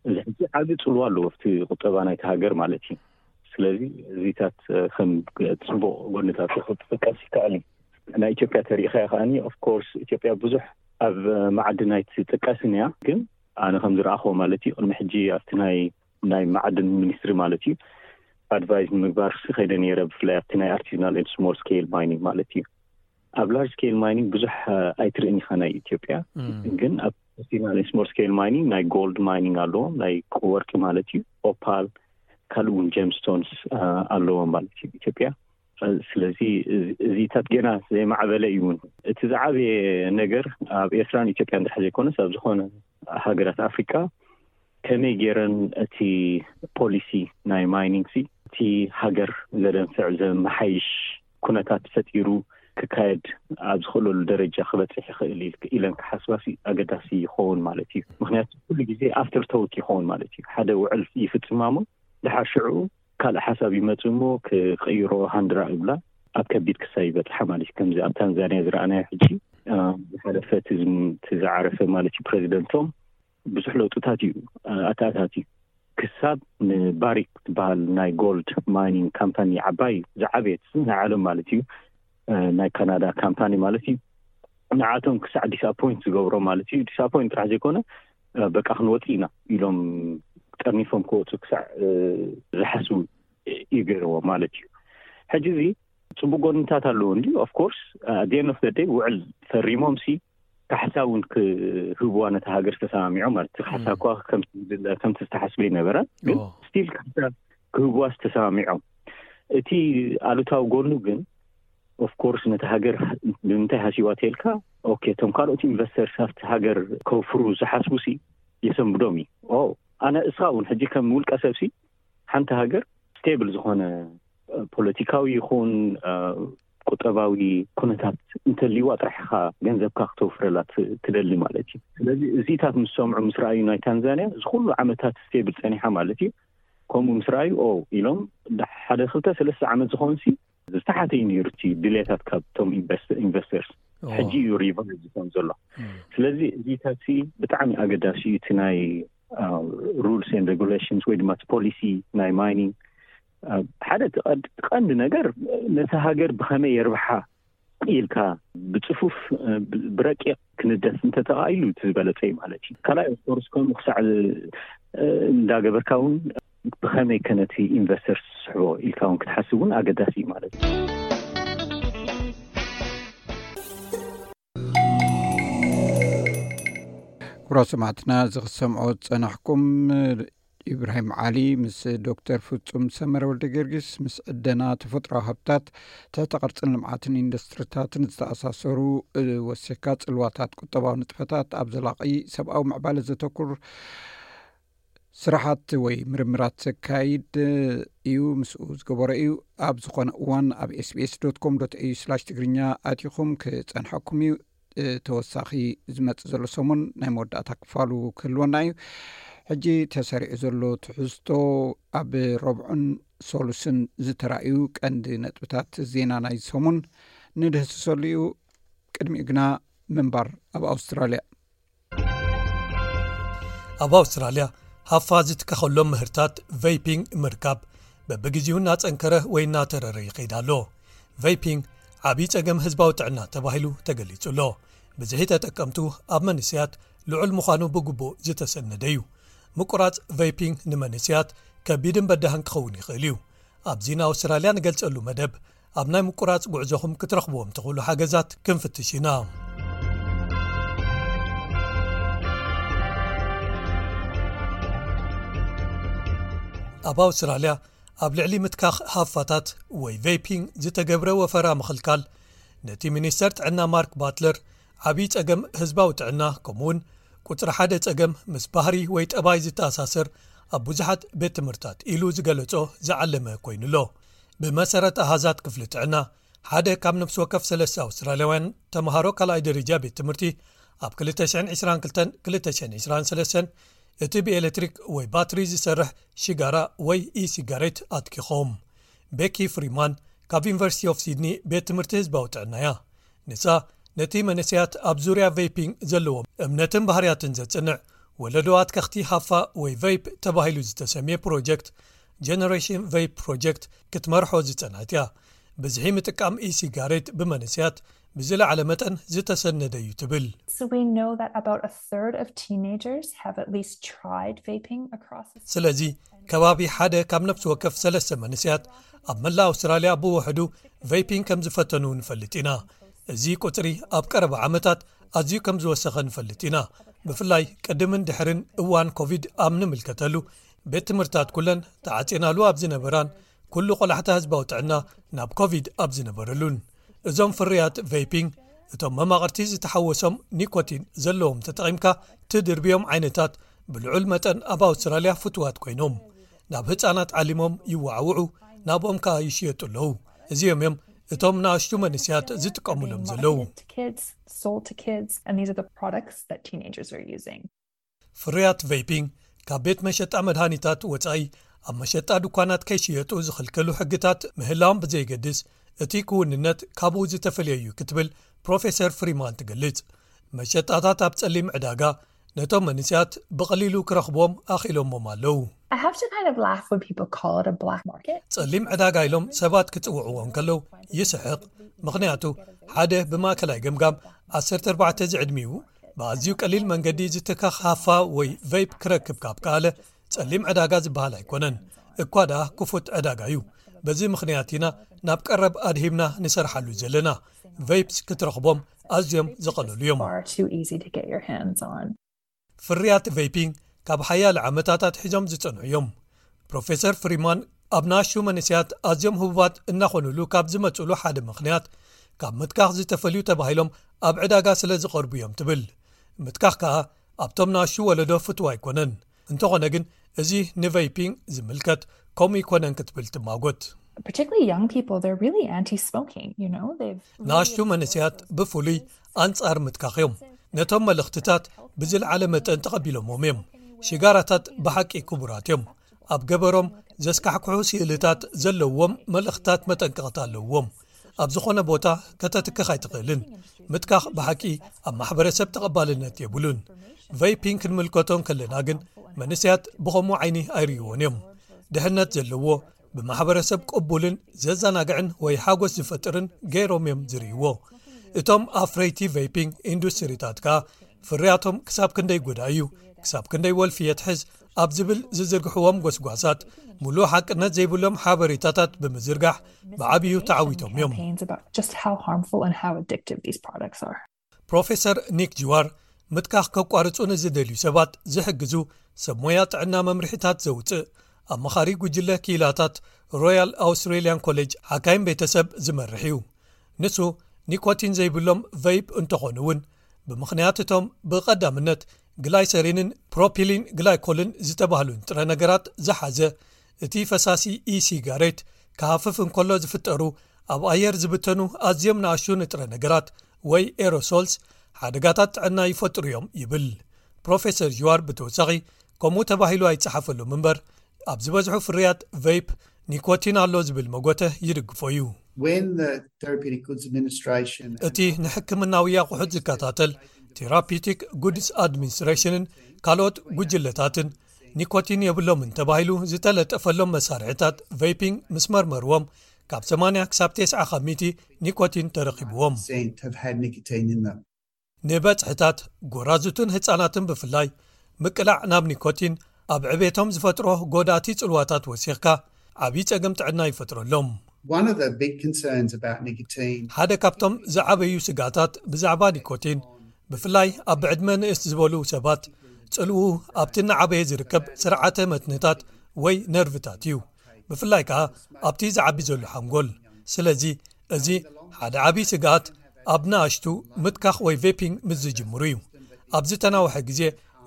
እዚ ሕጂ ዓቢ ጽልዋ ኣለዎ ኣብቲ ቁጠባ ናይቲ ሃገር ማለት እዩ። ስለዚ እዚታት ከም ጽቡቕ ጎንታት ክጥቀስ ይከኣል እዩ። ናይ ኢትዮጵያ ተሪኢኻዮ ከኣኒ ኦፍኮርስ ኢትዮጵያ ብዙሕ ኣብ ማዕድን ኣይትጥቀስን እያ። ግን ኣነ ከም ዝረኣኽዎ ማለት እዩ ቅድሚ ሕጂ ኣብቲ ናይ ናይ ማዕድን ሚኒስትሪ ማለት እዩ ኣድቫይዝ ንምግባር ሲ ከይደ ነይረ። ብፍላይ ኣብቲ ናይ ኣርቲዝናል ኤንድ ስሞል ስኬል ማይኒንግ ማለት እዩ ኣብ ላርጅ ስኬል ማይኒንግ ብዙሕ ኣይትርእን ኢኻ ናይ ኢትዮጵያ። ግን ኣብ ኣርቲዝናል ኤንድ ስሞል ስኬል ማይኒንግ ናይ ጎልድ ማይኒንግ ኣለዎ ናይ ወርቂ ማለት እዩ ኦፓል ካልእ እውን ጀምስቶንስ ኣለዎ ማለት እዩ ኢትዮጵያ። ስለዚ እዚታት ገና ዘይማዕበለ እዩ እውን። እቲ ዝዓበየ ነገር ኣብ ኤርትራን ኢትዮጵያን ጥራሕ ዘይኮነስ ኣብ ዝኾነ ሃገራት ኣፍሪካ ከመይ ገይረን እቲ ፖሊሲ ናይ ማይኒንግ ሲ እቲ ሃገር ዘደንፍዕ ዘመሓይሽ ኩነታት ፈጢሩ ክካየድ ኣብ ዝኽእለሉ ደረጃ ክበፅሕ ይኽእል ኢለን ክሓስባ ሲ ኣገዳሲ ይኸውን ማለት እዩ። ምክንያቱ ኩሉ ግዜ ኣፍተር ቶክ ይኸውን ማለት እዩ። ሓደ ውዕል ይፍፅማ እሞ ድሓር ሽዑ ካልእ ሓሳብ ይመጽእ እሞ ክቕይሮ ሃንድራ ይብላ ኣብ ከቢድ ክሳይ ይበጽሓ ማለት እዩ። ከምዚ ኣብ ታንዛንያ ዝረኣናዮ ሕጂ ዝሓለፈ እቲ ዝዓረፈ ማለት እዩ ፕረዚደንቶም ብዙሕ ለውጥታት እዩ ኣተኣታትዩ። ክሳብ ንባሪክ ትበሃል ናይ ጎልድ ማይኒንግ ካምፓኒ ዓባይ ዝዓበየት ናይ ዓለም ማለት እዩ ናይ ካናዳ ካምፓኒ ማለት እዩ ንዓቶም ክሳዕ ዲስኣፖይንት ዝገብሮ ማለት እዩ። ዲስኣፖይንት ጥራሕ ዘይኮነ በቃ ክንወፅ ኢና ኢሎም ጠርኒፎም ክወፁ ክሳዕ ዝሓስቡ እዩ ገይርዎ ማለት እዩ። ሕጂ እዚ ፅቡቅ ጎንታት ኣለዎ እንዲ ኦፍኮርስ ኣት ኤንድ ኦፍ ደይ ውዕል ፈሪሞም ሲ ካሕሳ እውን ክህብዋ ነታ ሃገር ዝተሰማሚዖም ማለት እቲ ካሕሳ እኳ ከምቲ ዝተሓስበ ይነበረ ግን ስቲል ካሕሳ ክህብዋ ዝተሰማሚዖም። እቲ ኣሉታዊ ጎኑ ግን ኦፍኮርስ ነቲ ሃገር ብምንታይ ሃሲዋ ተልካ ኦኬ እቶም ካልኦት ኢንቨስተርስ ኣብቲ ሃገር ከውፍሩ ዝሓስቡ ሲ የሰንብዶም እዩ። ኣነ እስኻ እውን ሕጂ ከም ውልቀ ሰብ ሲ ሓንቲ ሃገር ስቴብል ዝኾነ ፖለቲካዊ ይኹን ቁጠባዊ ኩነታት እንተልይዋ ጥራሕ ኢኻ ገንዘብካ ክተውፍረላ ትደሊ ማለት እዩ። ስለዚ እዚታት ምስ ሰምዑ ምስ ረኣዩ ናይ ታንዛንያ እዚ ኩሉ ዓመታት ስቴብል ጸኒሓ ማለት እዩ። ከምኡ ምስ ረኣዩ ኦ ኢሎም ሓደ ክልተ ሰለስተ ዓመት ዝኾንሲ ዝተሓተ እዩ ነይሩ እቲ ድሌታት ካብቶም ኢንቨስተርስ። ሕጂ እዩ ሪቫይዝ ዝኾን ዘሎ። ስለዚ እዚታት ብጣዕሚ ኣገዳሲ እዩ። እቲ ናይ rules and regulations ወይ ድማ ፖሊሲ ናይ ማይኒንግ ሓደ ቀንዲ ነገር ነቲ ሃገር ብኸመይ የርብሓ ኢልካ ብፅፉፍ ብረቂቕ ክንደፍ እንተተኻኢሉ እቲ ዝበለፀ እዩ ማለት እዩ። ካልኣይ ኦፍኮርስ ከምኡ ክሳዕ እንዳገበርካ እውን ብኸመይ ከነቲ ኢንቨስተርስ ዝስሕቦ ኢልካ እውን ክትሓስብ እውን ኣገዳሲ እዩ ማለት እዩ። ክቡራ ሰማዕትና፣ እዚ ክትሰምዖ ዝጸናሕኩም ኢብራሂም ዓሊ ምስ ዶክተር ፍጹም ሰመረ ወልደ ጊዮርጊስ ምስ ዕደና ተፈጥሮዊ ሃብታት፣ ትሕተ ቅርጽን ልምዓትን ኢንዱስትሪታትን ዝተኣሳሰሩ ወሲኽካ ጽልዋታት ቁጠባዊ ንጥፈታት ኣብ ዘላቒ ሰብኣዊ ምዕባለ ዘተኩር ስራሓት ወይ ምርምራት ዘካይድ እዩ። ምስኡ ዝገበሮ እዩ። ኣብ ዝኾነ እዋን ኣብ ኤስቢኤስ ዶት ኮም ዶት ኤዩ ስላሽ ትግርኛ ኣቲኹም ክጸንሐኩም እዩ። ተወሳኺ ዝመጽእ ዘሎ ሰሙን ናይ መወዳእታ ክፋሉ ክህልወና እዩ። ሕጂ ተሰሪዑ ዘሎ ትሕዝቶ ኣብ ረብዑን ሶሉስን ዝተራእዩ ቀንዲ ነጥብታት ዜና ናይ ሰሙን ንድህስሰሉ እዩ። ቅድሚኡ ግና ምንባር ኣብ ኣውስትራልያ። ኣብ ኣውስትራልያ ሃፋ ዝትከኸሎም ምህርታት ቨይፒንግ ምርካብ በብግዜኡ እናጸንከረ ወይ እናተረረ ይኸይድ ኣሎ። ቨይፒንግ ዓብዪ ጸገም ህዝባዊ ጥዕና ተባሂሉ ተገሊጹ ኣሎ። ብዝሒ ተጠቀምቱ ኣብ መንስያት ልዑል ምዃኑ ብግቡእ ዝተሰነደ እዩ። ምቁራጽ ቨይፒንግ ንመንስያት ከቢድን በዳህን ክኸውን ይኽእል እዩ። ኣብዚ ንኣውስትራልያ ንገልጸሉ መደብ ኣብ ናይ ምቁራጽ ጉዕዞኹም ክትረኽብዎም ትኽእሉ ሓገዛት ክንፍትሽ ኢና። ኣብ ኣውስትራልያ ኣብ ልዕሊ ምትካኽ ሃፋታት ወይ ቬይፒንግ ዝተገብረ ወፈራ ምኽልካል ነቲ ሚኒስተር ጥዕና ማርክ ባትለር ዓብዪ ጸገም ህዝባዊ ጥዕና ከምኡውን ቁጽሪ ሓደ ጸገም ምስ ባህሪ ወይ ጠባይ ዝተኣሳሰር ኣብ ብዙሓት ቤት ትምህርታት ኢሉ ዝገለጾ ዝዓለመ ኮይኑሎ። ብመሰረት ኣሃዛት ክፍሊ ጥዕና ሓደ ካብ ነፍሲ ወከፍ ሰለስተ ኣውስትራልያውያን ተምሃሮ ካልኣይ ደረጃ ቤት ትምህርቲ ኣብ ክልተ ሽሕን ዕስራን ክልተን ክልተ ሽሕን ዕስራን ሰለስተን እቲ ብኤሌክትሪክ ወይ ባትሪ ዝሰርሕ ሽጋራ ወይ ኢሲጋሬት ኣትኪኾም። ቤኪ ፍሪማን ካብ ዩኒቨርሲቲ ኦፍ ሲድኒ ቤት ትምህርቲ ህዝባዊ ጥዕና እያ። ንሳ ነቲ መንእሰያት ኣብ ዙርያ ቬይፒንግ ዘለዎም እምነትን ባህርያትን ዘጽንዕ ወለዶ ኣትከኽቲ ሃፋ ወይ ቨይፕ ተባሂሉ ዝተሰምየ ፕሮጀክት ጀነሬሽን ቨይፕ ፕሮጀክት ክትመርሖ ዝጸንሐት እያ። ብዝሒ ምጥቃም ኢሲጋሬት ብመንእሰያት ብዝለዓለ መጠን ዝተሰነደ እዩ ትብል። So we know that about a third of teenagers have at least tried vaping across the ስለዚ ከባቢ ሓደ ካብ ነፍሲ ወከፍ ሰለስተ መንእሰያት ኣብ መላእ ኣውስትራልያ ብውሕዱ ቬይፒንግ ከም ዝፈተኑ ንፈልጥ ኢና። እዚ ቁጽሪ ኣብ ቀረባ ዓመታት ኣዝዩ ከም ዝወሰኸ ንፈልጥ ኢና። ብፍላይ ቅድምን ድሕርን እዋን ኮቪድ ኣብ ንምልከተሉ ቤት ትምህርትታት ኩለን ተዓጺናሉ ኣብ ዝነበራን ኩሉ ቆላሕታ ህዝባዊ ጥዕና ናብ ኮቪድ ኣብ ዝነበረሉን። እዞም ፍርያት ቬይፒንግ እቶም መማቕርቲ ዝተሓወሶም ኒኮቲን ዘለዎም ተጠቒምካ ትድርብዮም ዓይነታት ብልዑል መጠን ኣብ ኣውስትራልያ ፍቱዋት ኮይኖም ናብ ህጻናት ዓሊሞም ይወዓውዑ፣ ናብኦም ከኣ ይሽየጡ ኣለዉ። እዚኦም እዮም እቶም ንኣሽቱ መንእሰያት ዝጥቀሙሎም ዘለዉ። Marketed to kids, sold to kids, and these are the products that teenagers are using. ፍርያት ቬይፒንግ ካብ ቤት መሸጣ መድሃኒታት ወጻኢ ኣብ መሸጣ ድኳናት ከይሽየጡ ዝኽልክሉ ሕግታት ምህላዎም ብዘይገድስ እቲ ክውንነት ካብኡ ዝተፈልየ እዩ ክትብል ፕሮፌሰር ፍሪማን ትገልጽ። መሸጣታት ኣብ ጸሊም ዕዳጋ ነቶም መንእሰያት ብቐሊሉ ክረኽብዎም ኣኽኢሎሞም ኣለዉ። I have to kind of laugh when people call it a black market. ጸሊም ዕዳጋ ኢሎም ሰባት ክጽውዕዎ እንከለዉ ይስሕቕ። ምኽንያቱ ሓደ ብማእከላይ ገምጋም ዓሰርተ ኣርባዕተ ዝዕድሚኡ ብኣዝዩ ቀሊል መንገዲ ዝትካኽ ሃፋ ወይ ቨይፕ ክረክብ ካብ ከኣለ ጸሊም ዕዳጋ ዝበሃል ኣይኮነን። እኳ ደኣ ክፉት ዕዳጋ እዩ። በዚ ምኽንያት ኢና ናብ ቀረብ ኣድሂብና ንሰርሓሉ ዘለና። ቨይፕስ ክትረኽቦም ኣዝዮም ዝቐለሉ እዮም። Far too easy to get your hands on. ፍርያት ቬይፒንግ ካብ ሓያለ ዓመታት ኣትሒዞም ዝጸንሑ እዮም። ፕሮፌሰር ፍሪማን ኣብ ንኣሽቱ መንእሰያት ኣዝዮም ህቡባት እናኾኑሉ ካብ ዝመጽሉ ሓደ ምኽንያት ካብ ምትካኽ ዝተፈልዩ ተባሂሎም ኣብ ዕዳጋ ስለ ዝቐርቡ እዮም ትብል። ምትካኽ ከኣ ኣብቶም ንኣሽቱ ወለዶ ፍቱው ኣይኮነን። እንተኾነ ግን እዚ ንቬይፒንግ ዝምልከት ከምኡ ኣይኮነን ክትብል ትማጎት። Particularly young people, they're really anti-smoking, you know? They've really ንኣሽቱ መንእሰያት ብፍሉይ ኣንጻር ምትካኽ እዮም። ነቶም መልእኽትታት ብዝለዓለ መጠን ተቐቢሎሞም እዮም። ሽጋራታት ብሓቂ ክቡራት እዮም። ኣብ ገበሮም ዘስካሕክሑ ስእልታት ዘለዎም መልእኽትታት መጠንቀቕታ ኣለዎም። ኣብ ዝኾነ ቦታ ከተትክኽ ኣይትኽእልን። ምትካኽ ብሓቂ ኣብ ማሕበረሰብ ተቐባልነት የብሉን። ቨይፒንግ ክንምልከቶ እንከለና ግን መንእሰያት ብኸምኡ ዓይኒ ኣይርእይዎን እዮም። ድሕነት ዘለዎ ብማሕበረሰብ ቅቡልን ዘዘናግዕን ወይ ሓጎስ ዝፈጥርን ገይሮም እዮም ዝርእይዎ። እቶም ኣፍረይቲ ቨይፒንግ ኢንዱስትሪታት ከኣ ፍርያቶም ክሳብ ክንደይ ጎዳኢ እዩ፣ ክሳብ ክንደይ ወልፊ የትሕዝ ኣብ ዝብል ዝዝርግሕዎም ጎስጓሳት፣ ምሉእ ሓቅነት ዘይብሎም ሓበሬታታት ብምዝርጋሕ ብዓብዩ ተዓዊቶም እዮም። Campaigns about just how harmful and how addictive these products are. ፕሮፌሰር ኒክ ጅዋር፣ ምትካኽ ከቋርጹ ንዝደልዩ ሰባት ዝሕግዙ ሰብ ሞያ ጥዕና መምርሒታት ዘውጽእ ኣማኻሪ ጉጅለ ክኢላታት ሮያል ኣውስትሬልያን ኮሌጅ ሓካይም ቤተሰብ ዝመርሕ እዩ። ንሱ ኒኮቲን ዘይብሎም ቨይፕ እንተኾኑ እውን፣ ብምኽንያት እቶም ብቐዳምነት ግላይሰሪንን ፕሮፒሊን ግላይኮልን ዝተባህሉ ንጥረ ነገራት ዝሓዘ እቲ ፈሳሲ ኢ-ሲጋሬት ክሃፍፍ እንከሎ ዝፍጠሩ ኣብ ኣየር ዝብተኑ ኣዝዮም ንኣሽቱ ንጥረ ነገራት ወይ ኤሮሶልስ ሓደጋታት ጥዕና ይፈጥሩ እዮም ይብል። ፕሮፌሰር ጅዋር ብተወሳኺ፣ ከምኡ ተባሂሉ ኣይጸሓፈሎም እምበር፣ ኣብ ዝበዝሑ ፍርያት ቨይፕ ኒኮቲን ኣሎ ዝብል መጎተ ይድግፎ እዩ። When the Therapeutic Goods Administration እቲ ንሕክምናዊ ኣቑሑት ዝከታተል ቴራፒቲክ ጉድስ ኣድሚኒስትሬሽንን ካልኦት ጉጅለታትን ኒኮቲን የብሎምን ተባሂሉ ዝተለጠፈሎም መሳርሒታት ቨይፒንግ ምስ መርመርዎም፣ ካብ ሰማንያ ክሳብ ተስዓ ካብ ሚእቲ ኒኮቲን ተረኺብዎም። have had nicotine in them. ንበጽሕታት፣ ጎራዙትን ህጻናትን ብፍላይ፣ ምቅላዕ ናብ ኒኮቲን ኣብ ዕቤቶም ዝፈጥሮ ጎዳእቲ ጽልዋታት ወሲኽካ ዓብዪ ጸገም ጥዕና ይፈጥረሎም። One of the big concerns about nicotine ሓደ ካብቶም ዝዓበዩ ስጋታት ብዛዕባ ኒኮቲን፣ ብፍላይ ኣብ ዕድመ ንእስ ዝበሉ ሰባት፣ ጽልኡ ኣብቲ እናዓበየ ዝርከብ ስርዓተ መትንታት ወይ ነርቭታት እዩ፣ ብፍላይ ከኣ ኣብቲ ዝዓቢ ዘሎ ሓንጎል። ስለዚ እዚ ሓደ ዓቢ ስግኣት ኣብ ንኣሽቱ ምትካኽ ወይ ቬፒንግ ምስ ዝጅምሩ እዩ። ኣብ ዝተናውሐ ግዜ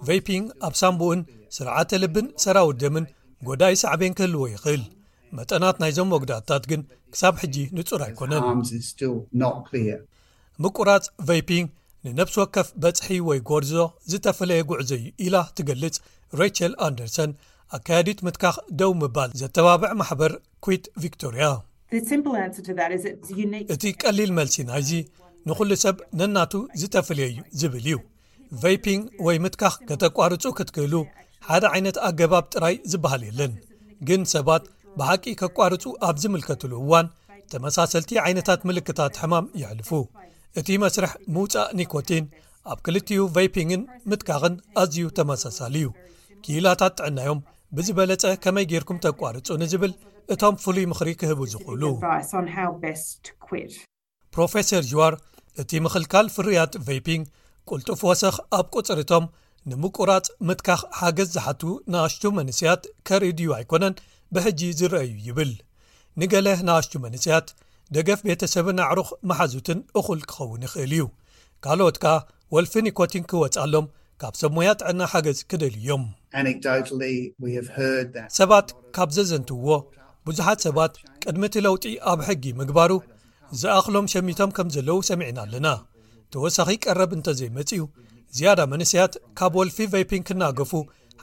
ቬፒንግ ኣብ ሳምቡእን ስርዓተ ልብን ሰራውር ደምን ጎዳኢ ሳዕቤን ክህልዎ ይኽእል። መጠናት ናይዞም መጉዳእትታት ግን ክሳብ ሕጂ ንጹር ኣይኮነን። Harms is still not clear. ምቁራጽ ቬፒንግ ንነፍሲ ወከፍ በጽሒ ወይ ጎርዞ ዝተፈለየ ጉዕዞ እዩ ኢላ ትገልጽ ሬቸል ኣንደርሰን፣ ኣካያዲት ምትካኽ ደው ምባል ዘተባብዕ ማሕበር ኩዊት ቪክቶርያ። The simple answer to that is it's unique. እቲ ቀሊል መልሲ ናይዚ ንኹሉ ሰብ ነናቱ ዝተፈለየ እዩ ዝብል እዩ። ቬፒንግ ወይ ምትካኽ ከተቋርጹ ክትክእሉ ሓደ ዓይነት ኣገባብ ጥራይ ዝበሃል የለን። ግን ሰባት ብሓቂ ከቋርጹ ኣብ ዝምልከትሉ እዋን ተመሳሰልቲ ዓይነታት ምልክታት ሕማም የሕልፉ። እቲ መስርሕ ምውጻእ ኒኮቲን ኣብ ክልቲኡ ቬፒንግን ምትካኽን ኣዝዩ ተመሳሳሊ እዩ። ክኢላታት ጥዕናዮም ብዝበለጸ ከመይ ጌርኩም ተቋርጹ ንዝብል እቶም ፍሉይ ምኽሪ ክህቡ ዝኽእሉ። Advice on how best to quit. ፕሮፌሰር ጅዋር፣ እቲ ምኽልካል ፍርያት ቬፒንግ ቅልጡፍ ወሰኽ ኣብ ቁጽሪቶም ንምቁራጽ ምትካኽ ሓገዝ ዝሓቱ ንኣሽቱ መንእሰያት ከርኢ ድዩ ኣይኮነን ብሕጂ ዝረኣዩ ይብል። ንገለ ንኣሽቱ መንእሰያት ደገፍ ቤተሰብን ኣዕሩኽ መሓዙትን እኹል ክኸውን ይኽእል እዩ። ካልኦት ከኣ ወልፊ ኒኮቲን ክወጽኣሎም ካብ ሰብ ሞያ ጥዕና ሓገዝ ክደልዩ እዮም። Anecdotally, we have heard that ሰባት ካብ ዘዘንትውዎ፣ ብዙሓት ሰባት ቅድሚ እቲ ለውጢ ኣብ ሕጊ ምግባሩ ዝኣኽሎም ሸሚቶም ከም ዘለዉ ሰሚዕና ኣለና። ተወሳኺ ቀረብ እንተዘይመጽዩ፣ ዝያዳ መንእሰያት ካብ ወልፊ ቬፒንግ ክናገፉ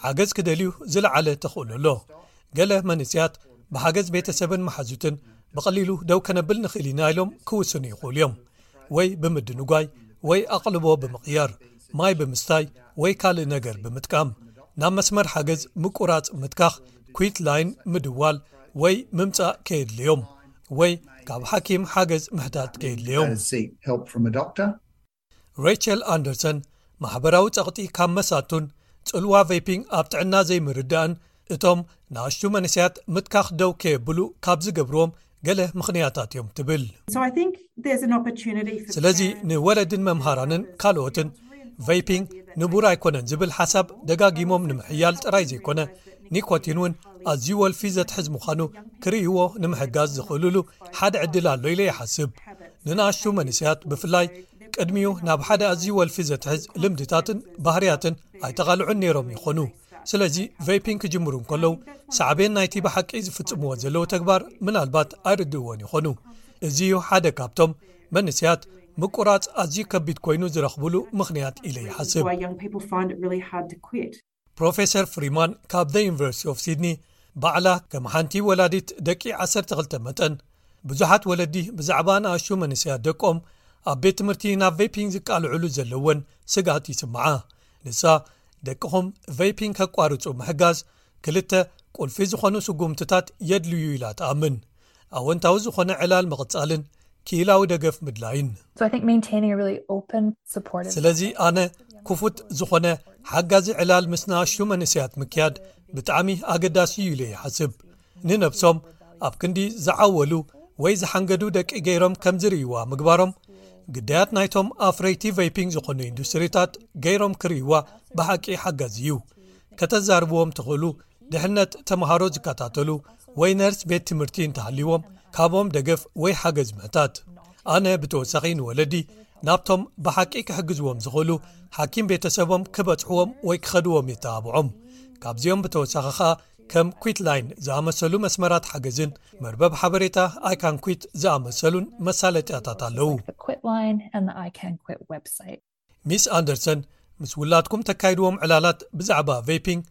ሓገዝ ክደልዩ ዝለዓለ ተኽእሎ ኣሎ። ገለ መንእሰያት ብሓገዝ ቤተሰብን መሓዙትን ብቐሊሉ ደው ከነብል ንኽእል ኢና ኢሎም ክውስኑ ይኽእሉ እዮም። ወይ ብምድንጓይ፣ ወይ ኣቕልቦ ብምቕያር፣ ማይ ብምስታይ፣ ወይ ካልእ ነገር ብምጥቃም፣ ናብ መስመር ሓገዝ ምቁራጽ ምትካኽ፣ ኩዊት ላይን፣ ምድዋል ወይ ምምጻእ ከየድልዮም፣ ወይ ካብ ሓኪም ሓገዝ ምሕታት ከየድልዮም። Seek help from a doctor. ሬቸል ኣንደርሰን፣ ማሕበራዊ ጸቕጢ ካብ መሳቱን ጽልዋ ቬፒንግ ኣብ ጥዕና ዘይምርዳእን እቶም ንኣሽቱ መንእሰያት ምትካኽ ደው ከየብሉ ካብ ዝገብርዎም ገለ ምኽንያታት እዮም ትብል። So I think there's an opportunity for ስለዚ parents ንወለድን መምሃራንን ካልኦትን ቬፒንግ ንቡር ኣይኮነን ዝብል ሓሳብ ደጋጊሞም ንምሕያል ጥራይ ዘይኮነ፣ ኒኮቲን እውን ኣዝዩ ወልፊ ዘትሕዝ ምዃኑ ክርእይዎ ንምሕጋዝ ዝኽእሉሉ ሓደ ዕድል ኣሎ ኢለ ይሓስብ። ንንኣሽቱ መንእሰያት ብፍላይ ቅድሚኡ ናብ ሓደ ኣዝዩ ወልፊ ዘትሕዝ ልምድታትን ባህርያትን ኣይተቓልዑን ነይሮም ይኾኑ። ስለዚ ቬይፒንግ ክጅምሩ እንከለዉ ሳዕቤን ናይቲ ብሓቂ ዝፍጽምዎ ዘለዉ ተግባር ምናልባት ኣይርድእዎን ይኾኑ። እዚ እዩ ሓደ ካብቶም መንእሰያት ምቁራጽ ኣዝዩ ከቢድ ኮይኑ ዝረኽብሉ ምኽንያት ኢለ ይሓስብ። Why young people find it really hard to quit. ፕሮፌሰር ፍሪማን ካብ The University of Sydney ባዕላ ከም ሓንቲ ወላዲት ደቂ ዓሰርተ ክልተ መጠን ብዙሓት ወለዲ ብዛዕባ ንኣሽቱ መንእሰያት ደቆም ኣብ ቤት ትምህርቲ ናብ ቬይፒንግ ዝቃልዕሉ ዘለወን ስግኣት ይስምዓ። ንሳ ደቅኹም ቬይፒንግ ከቋርጹ ምሕጋዝ ክልተ ቁልፊ ዝኾኑ ስጉምትታት የድልዩ ኢላ ትኣምን። ኣወንታዊ ዝኾነ ዕላል ምቕጻልን ክኢላዊ ደገፍ ምድላይን። So I think maintaining a really open, supportive. ስለዚ ኣነ ክፉት ዝኾነ ሓጋዚ ዕላል ምስ ንኣሽቱ መንእሰያት ምክያድ ብጣዕሚ ኣገዳሲ እዩ ኢለ ይሓስብ። ንነብሶም ኣብ ክንዲ ዝዓወሉ ወይ ዝሓንገዱ ደቂ ገይሮም ከም ዝርእይዋ ምግባሮም ግዳያት ናይቶም ኣፍረይቲ ቬይፒንግ ዝኾኑ ኢንዱስትሪታት ገይሮም ክርእይዋ ብሓቂ ሓጋዚ እዩ። ከተዛርብዎም ትኽእሉ ድሕነት ተምሃሮ ዝከታተሉ ወይ ነርስ ቤት ትምህርቲ እንተሃልይዎም ካብኦም ደገፍ ወይ ሓገዝ ምሕታት። ኣነ ብተወሳኺ ንወለዲ ናብቶም ብሓቂ ክሕግዝዎም ዝኽእሉ ሓኪም ቤተሰቦም ክበጽሕዎም ወይ ክኸድዎም የተባብዖም። ካብዚኦም ብተወሳኺ ኸኣ ከም ኩዊት ላይን ዝኣመሰሉ መስመራት ሓገዝን መርበብ ሓበሬታ I Can Quit ዝኣመሰሉን መሳለጥያታት ኣለዉ። The Quitline and the I Can Quit website. ሚስ ኣንደርሰን ምስ ውላድኩም ተካይድዎም ዕላላት ብዛዕባ ቬይፒንግ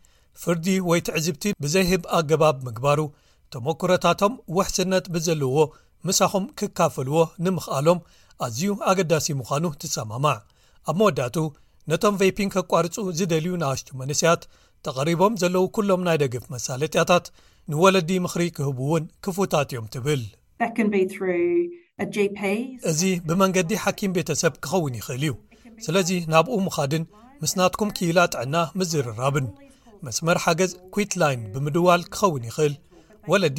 ፍርዲ ወይ ትዕዝብቲ ብዘይህብ ኣገባብ ምግባሩ ተመክሮታቶም ውሕስነት ብዘለዎ ምሳኹም ክካፈልዎ ንምኽኣሎም ኣዝዩ ኣገዳሲ ምዃኑ ትሰማማዕ። ኣብ መወዳእቱ ነቶም ቬይፒንግ ከቋርጹ ዝደልዩ ንኣሽቱ መንእሰያት ተቐሪቦም ዘለዉ ኩሎም ናይ ደገፍ መሳለጥያታት ንወለዲ ምኽሪ ክህቡ እውን ክፉታት እዮም ትብል። That can be through a G P. እዚ ብመንገዲ ሓኪም ቤተሰብ ክኸውን ይኽእል እዩ። ስለዚ ናብኡ ምኻድን ምስ ናትኩም ክኢላ ጥዕና ምዝርራብን መስመር ሓገዝ ኩዊት ላይን ብምድዋል ክኸውን ይኽእል። ወለዲ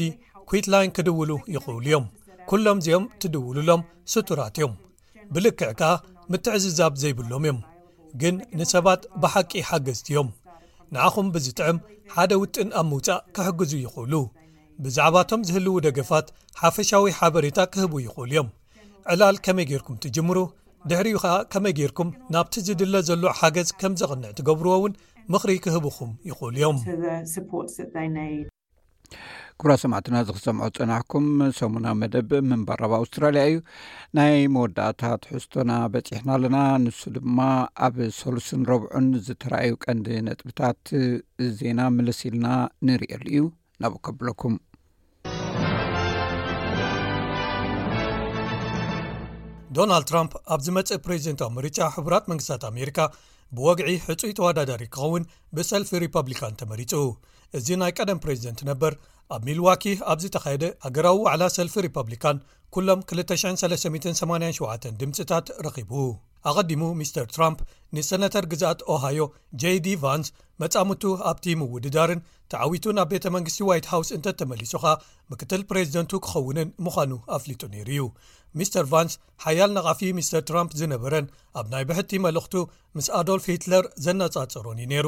ኩዊት ላይን ክድውሉ ይኽእሉ እዮም። ኩሎም እዚኦም ትድውሉሎም ስቱራት እዮም። ብልክዕ ከኣ ምትዕዝዛብ ዘይብሎም እዮም፣ ግን ንሰባት ብሓቂ ሓገዝቲ እዮም። ንዓኹም ብዝጥዕም ሓደ ውጥን ኣብ ምውጻእ ክሕግዙ ይኽእሉ። ብዛዕባቶም ዝህልዉ ደገፋት ሓፈሻዊ ሓበሬታ ክህቡ ይኽእሉ እዮም። ዕላል ከመይ ጌርኩም ትጅምሩ፣ ድሕሪኡ ኸኣ ከመይ ጌርኩም ናብቲ ዝድለ ዘሎ ሓገዝ ከም ዘቕንዕ ትገብርዎ እውን ምኽሪ ክህብኹም ይኽእሉ እዮም። To the supports that they need. ክቡራ ሰማዕትና ዝክሰምዖ ጸናሕኩም ሰሙና መደብ ምንባር ኣብ ኣውስትራልያ እዩ። ናይ መወዳእታ ትሕዝቶና በጺሕና ኣለና። ንሱ ድማ ኣብ ሰሉስን ረብዑን ዝተረኣዩ ቀንዲ ነጥብታት ዜና ምልስ ኢልና ንርእየሉ እዩ። ናብኡ ከብለኩም። ዶናልድ ትራምፕ ኣብ ዝመጽእ ፕሬዚደንታዊ ምርጫ ሕቡራት መንግስታት ኣሜሪካ ብወግዒ ሕጹይ ተወዳዳሪ ክኸውን ብሰልፊ ሪፐብሊካን ተመሪጹ። እዚ ናይ ቀደም ፕሬዚደንት ነበር ኣብ ሚልዋኪ ኣብ ዝተኻየደ ሃገራዊ ዋዕላ ሰልፊ ሪፐብሊካን ኩሎም ክልተ ሽሕን ሰለስተ ሚእትን ሰማንያን ሸውዓተን ድምፅታት ረኺቡ። ኣቐዲሙ ሚስተር ትራምፕ ንሰነተር ግዝኣት ኦሃዮ ጄዲ ቫንስ መጻምቱ ኣብቲ ምውድዳርን ተዓዊቱ ናብ ቤተ መንግስቲ ዋይት ሃውስ እንተተመሊሱ ኸኣ ምክትል ፕሬዚደንቱ ክኸውንን ምዃኑ ኣፍሊጡ ነይሩ እዩ። ሚስተር ቫንስ ሓያል ነቓፊ ሚስተር ትራምፕ ዝነበረን ኣብ ናይ ብሕቲ መልእኽቱ ምስ ኣዶልፍ ሂትለር ዘነጻጸሮን እዩ ነይሩ።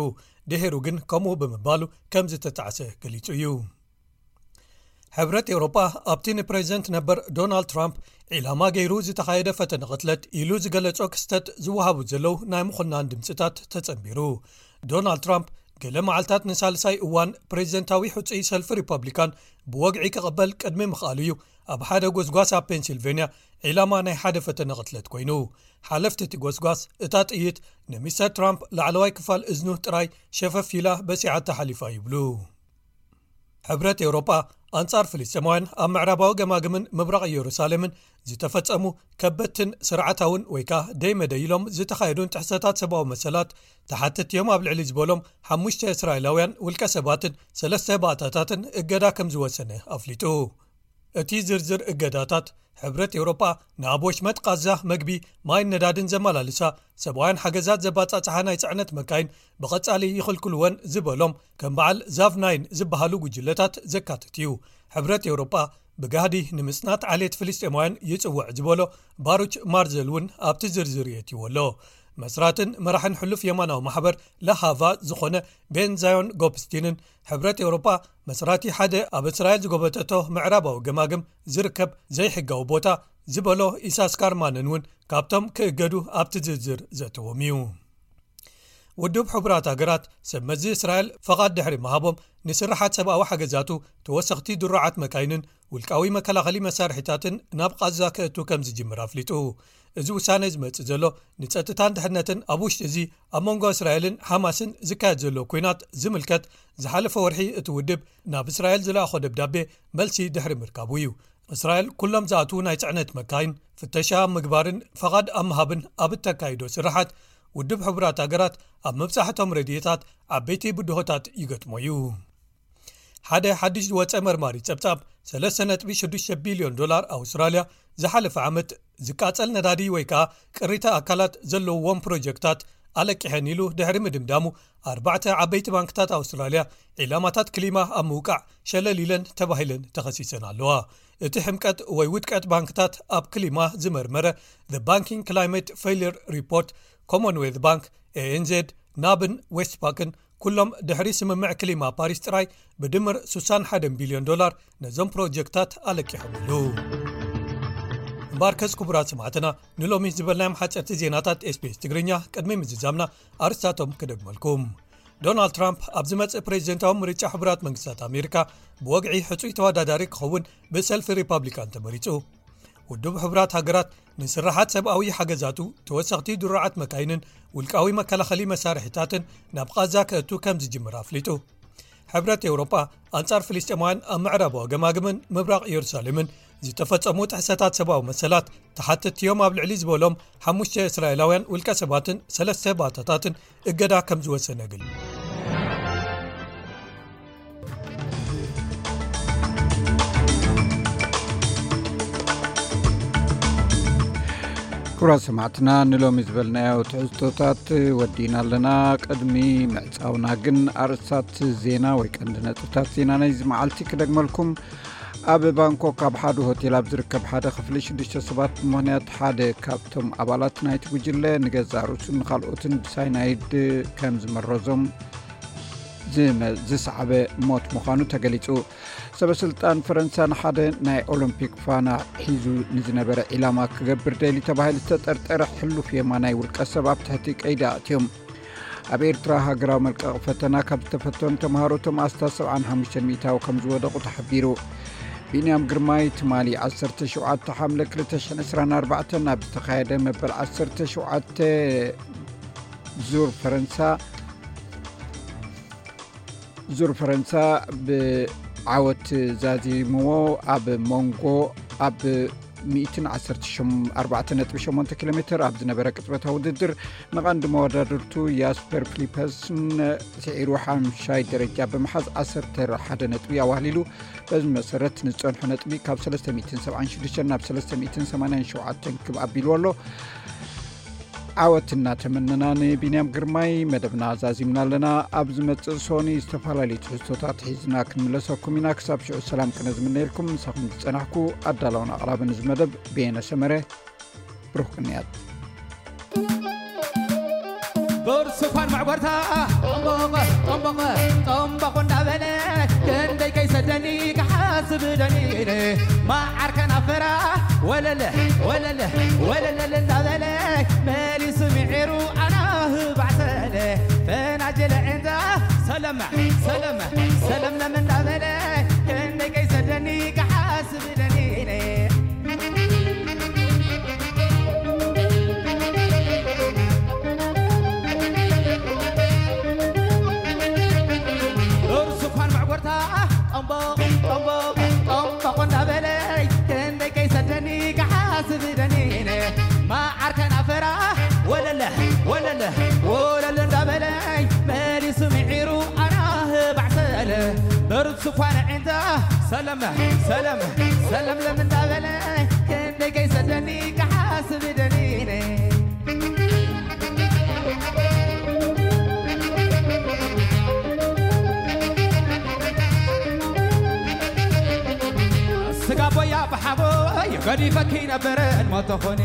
ድሒሩ ግን ከምኡ ብምባሉ ከም ዝተጣዕሰ ገሊጹ እዩ። ሕብረት ኤውሮጳ ኣብቲ ንፕሬዚደንት ነበር ዶናልድ ትራምፕ ዒላማ ገይሩ ዝተኻየደ ፈተነ ቅትለት ኢሉ ዝገለጾ ክስተት ዝወሃቡ ዘለዉ ናይ ምኹናን ድምፅታት ተጸንቢሩ። ዶናልድ ትራምፕ ገለ መዓልታት ንሳልሳይ እዋን ፕሬዚደንታዊ ሕጹይ ሰልፊ ሪፐብሊካን ብወግዒ ክቕበል ቅድሚ ምኽኣሉ እዩ ኣብ ሓደ ጎስጓስ ኣብ ፔንሲልቬንያ ዒላማ ናይ ሓደ ፈተነ ቅትለት ኮይኑ። ሓለፍቲ እቲ ጎስጓስ እታ ጥይት ንሚስተር ትራምፕ ላዕለዋይ ክፋል እዝኑ ጥራይ ሸፈፍ ኢላ በሲዓ ተሓሊፋ ይብሉ። ሕብረት ኤውሮጳ ኣንጻር ፍልስጤማውያን ኣብ ምዕራባዊ ገማግምን ምብራቕ ኢየሩሳሌምን ዝተፈጸሙ ከበድትን ስርዓታውን ወይ ከኣ ደይመደይ ኢሎም ዝተኻየዱን ጥሕሰታት ሰብኣዊ መሰላት ተሓተትቲ እዮም ኣብ ልዕሊ ዝበሎም ሓሙሽተ እስራኤላውያን ውልቀ ሰባትን ሰለስተ ባእታታትን እገዳ ከም ዝወሰነ ኣፍሊጡ። እቲ ዝርዝር እገዳታት ሕብረት ኤውሮጳ ናብ ወሽመጥ ቃዛ መግቢ፣ ማይን ነዳድን ዘመላልሳ ሰብኣውያን ሓገዛት ዘባጻጽሓ ናይ ጽዕነት መካይን ብቐጻሊ ይኽልክልወን ዝበሎም ከም በዓል ዛቭ ናይን ዝበሃሉ ጉጅለታት ዘካትት እዩ። ሕብረት ኤውሮጳ ብጋህዲ ንምጽናት ዓሌት ፍልስጤማውያን ይጽውዕ ዝበሎ ባሩች ማርዘል እውን ኣብቲ ዝርዝር የእትይዎ ኣሎ። መስራትን መራሕን ሕሉፍ የማናዊ ማሕበር ለሃቫ ዝኾነ ቤን ዛዮን ጎፕስቲንን ሕብረት ኤውሮጳ መስራቲ ሓደ ኣብ እስራኤል ዝጎበጠቶ ምዕራባዊ ገማግም ዝርከብ ዘይሕጋዊ ቦታ ዝበሎ ኢሳስካር ማንን እውን ካብቶም ክእገዱ ኣብቲ ዝርዝር ዘእተዎም እዩ። ውድብ ሕቡራት ሃገራት ሰብ መዚ እስራኤል ፈቓድ ድሕሪ ምሃቦም፣ ንስርሓት ሰብኣዊ ሓገዛቱ፣ ተወሰኽቲ ድሩዓት መካይንን ውልቃዊ መከላኸሊ መሳርሒታትን ናብ ቓዛ ከእቱ ከም ዝጅምር ኣፍሊጡ። እዚ ውሳነ ዝመጽእ ዘሎ፣ ንጸጥታን ድሕነትን ኣብ ውሽጢ እዚ ኣብ መንጎ እስራኤልን ሓማስን ዝካየድ ዘሎ ኲናት ዝምልከት፣ ዝሓለፈ ወርሒ እቲ ውድብ ናብ እስራኤል ዝለኣኾ ደብዳቤ መልሲ ድሕሪ ምርካቡ እዩ። እስራኤል ኩሎም ዝኣትዉ ናይ ጽዕነት መካይን ፍተሻ ኣብ ምግባርን ፈቓድ ኣብ ምሃብን ኣብ እተካይዶ ስርሓት፣ ውድብ ሕቡራት ሃገራት ኣብ ምብጻሕቶም ረድኤታት ዓበይቲ ብድሆታት ይገጥሞ እዩ። ሓደ ሓድሽ ዝወጸ መርማሪ ጸብጻብ፣ ሰለስተ ነጥቢ ሽዱሽተ ቢልዮን ዶላር ኣውስትራልያ ዝሓለፈ ዓመት ዝቃጸል ነዳዲ ወይ ከኣ ቅሪተ ኣካላት ዘለውዎም ፕሮጀክታት ኣለቂሐን ኢሉ ድሕሪ ምድምዳሙ፣ ኣርባዕተ ዓበይቲ ባንክታት ኣውስትራልያ ዒላማታት ክሊማ ኣብ ምውቃዕ ሸለል ኢለን ተባሂለን ተኸሲሰን ኣለዋ። እቲ ሕምቀት ወይ ውድቀት ባንክታት ኣብ ክሊማ ዝመርመረ The Banking Climate Failure Report፣ ኮመንዌልት ባንክ፣ ኤ ኤን ዜድ፣ ናብን ዌስትፓክን ኩሎም ድሕሪ ስምምዕ ክሊማ ፓሪስ ጥራይ ብድምር ስሳን ሓደን ቢልዮን ዶላር ነዞም ፕሮጀክታት ኣለቂሖምሉ። እምበኣርከስ ክቡራት ሰማዕትና፣ ንሎሚ ዝበልናዮም ሓጸርቲ ዜናታት ኤስ ቢ ኤስ ትግርኛ ቅድሚ ምዝዛምና ኣርስታቶም ክደግመልኩም። ዶናልድ ትራምፕ ኣብ ዝመጽእ ፕሬዚደንታዊ ምርጫ ሕቡራት መንግስታት ኣሜሪካ ብወግዒ ሕጹይ ተወዳዳሪ ክኸውን ብሰልፊ ሪፓብሊካን ተመሪጹ። ውድብ ሕቡራት ሃገራት ንስርሓት ሰብኣዊ ሓገዛቱ፣ ተወሰኽቲ ድሩዓት መካይንን ውልቃዊ መከላኸሊ መሳርሒታትን ናብ ቓዛ ከእቱ ከም ዝጅምር ኣፍሊጡ። ሕብረት ኤውሮጳ ኣንጻር ፍልስጤማውያን ኣብ ምዕራባዊ ገማግምን ምብራቕ ኢየሩሳሌምን ዝተፈጸሙ ጥሕሰታት ሰብኣዊ መሰላት ተሓተትቲ እዮም ኣብ ልዕሊ ዝበሎም ሓሙሽተ እስራኤላውያን ውልቀ ሰባትን ሰለስተ ባታታትን እገዳ ከም ዝወሰነ ገሊጹ። ክቡራት ሰማዕትና፣ ንሎሚ ዝበልናዮ ትሕዝቶታት ወዲና ኣለና። ቅድሚ ምዕጻውና ግን ኣርእስታት ዜና ወይ ቀንዲ ነጥብታት ዜና ናይዚ መዓልቲ ክደግመልኩም። ኣብ ባንኮክ ኣብ ሓደ ሆቴል ኣብ ዝርከብ ሓደ ክፍሊ ሽዱሽተ ሰባት ብምኽንያት ሓደ ካብቶም ኣባላት ናይቲ ጉጅለ ንገዛእ ርእሱን ንኻልኦትን ብሳይናይድ ከም ዝመረዞም ዝመ-፣ ዝሰዓበ ሞት ምዃኑ ተገሊጹ። ሰበ ስልጣን ፈረንሳ ንሓደ ናይ ኦሎምፒክ ፋና ሒዙ ንዝነበረ ዒላማ ክገብር ደልዩ ተባሂሉ ዝተጠርጠረ ሕሉፍ የማናይ ውልቀ ሰብ ኣብ ትሕቲ ቀይዲ ኣእትዮም። ኣብ ኤርትራ ሃገራዊ መልቀቒ ፈተና ካብ ዝተፈተኑ ተምሃሮ እቶም ኣስታት ሰብዓን ሓሙሽተን ሚእታዊ ከም ዝወደቑ ተሓቢሩ። ቢንያም ግርማይ ትማሊ ዓሰርተ ሸውዓተ ሓምለ ክልተ ሽሕን ዕስራን ኣርባዕተን ኣብ ዝተኻየደ መበል ዓሰርተ ሸውዓተ ዙር ፈረንሳ ዙር ፈረንሳ ብዓወት ዛዚምዎ ኣብ መንጎ ኣብ ሚእትን ዓሰርተ ኣርባዕተ ነጥቢ ሸሞንተ ኪሎ ሜትር ኣብ ዝነበረ ቅጽበታዊ ውድድር ንቐንዲ መወዳድርቱ ያስፐር ፊሊፐስን ስዒሩ ሓምሻይ ደረጃ ብምሓዝ ዓሰርተ ሓደ ነጥቢ ኣዋህሊሉ። በዚ መሰረት ንዝጸንሖ ነጥቢ ካብ ሰለስተ ሚእትን ሰብዓን ሽዱሽተን ናብ ሰለስተ ሚእትን ሰማንያን ሸውዓተን ክብ ኣቢልዎ ኣሎ። ዓወት እናተመነና ንቢንያም ግርማይ መደብና ዛዚምና ኣለና። ኣብ ዝመጽእ ሶኒ ዝተፈላለዩ ትሕዝቶታት ሒዝና ክንምለሰኩም ኢና። ክሳብ ሽዑ ሰላም ቅነ ዝምነየልኩም ምሳኹም ዝጸናሕኩ ኣዳላውን ኣቕራብን እዚ መደብ ብየነ ሰመረ። ብሩኽ ቅንያት። ብርቱኳን መዕጎርታ ጠምቦቕ ጠምቦቕ ጠምቦቕ እንዳበለ ክንደይ ከይሰደኒ ክሓስብ ደኒነ። መዓር ከናፈራ ወለለ ወለለ ወለለል እንዳበለ መሊሱ ምዒሩ ኣናህ ባዕሰለ ፈናጀለ ዕንዛ ሰለመ ሰለመ ሰለምለም እንዳበለ ክንደይ ከይሰደኒ ክሓስብ ደኒነ። እርሱ እኳን መዕጎርታ ጠምቦቕ ጠምቦቕ ጠምቦቕ እንዳበለይ ክንደይ ከይሰደኒ ክሓስብ ደኒነ። መዓር ከናፈራ ወለለ ወለለ ወለለ እንዳበለይ መሊሱ ምዒሩ ኣናህ ባዕሰለ። እርሱ እኳን ዒንታ ሰለመ ሰለመ ሰለምለም እንዳበለይ ክንደይ ከይሰደኒ ክሓስብ ደኒነ። ስጋ ቦያ ብሓቦይ ገዲፈኪ ነበር እሞ ተኾኒ።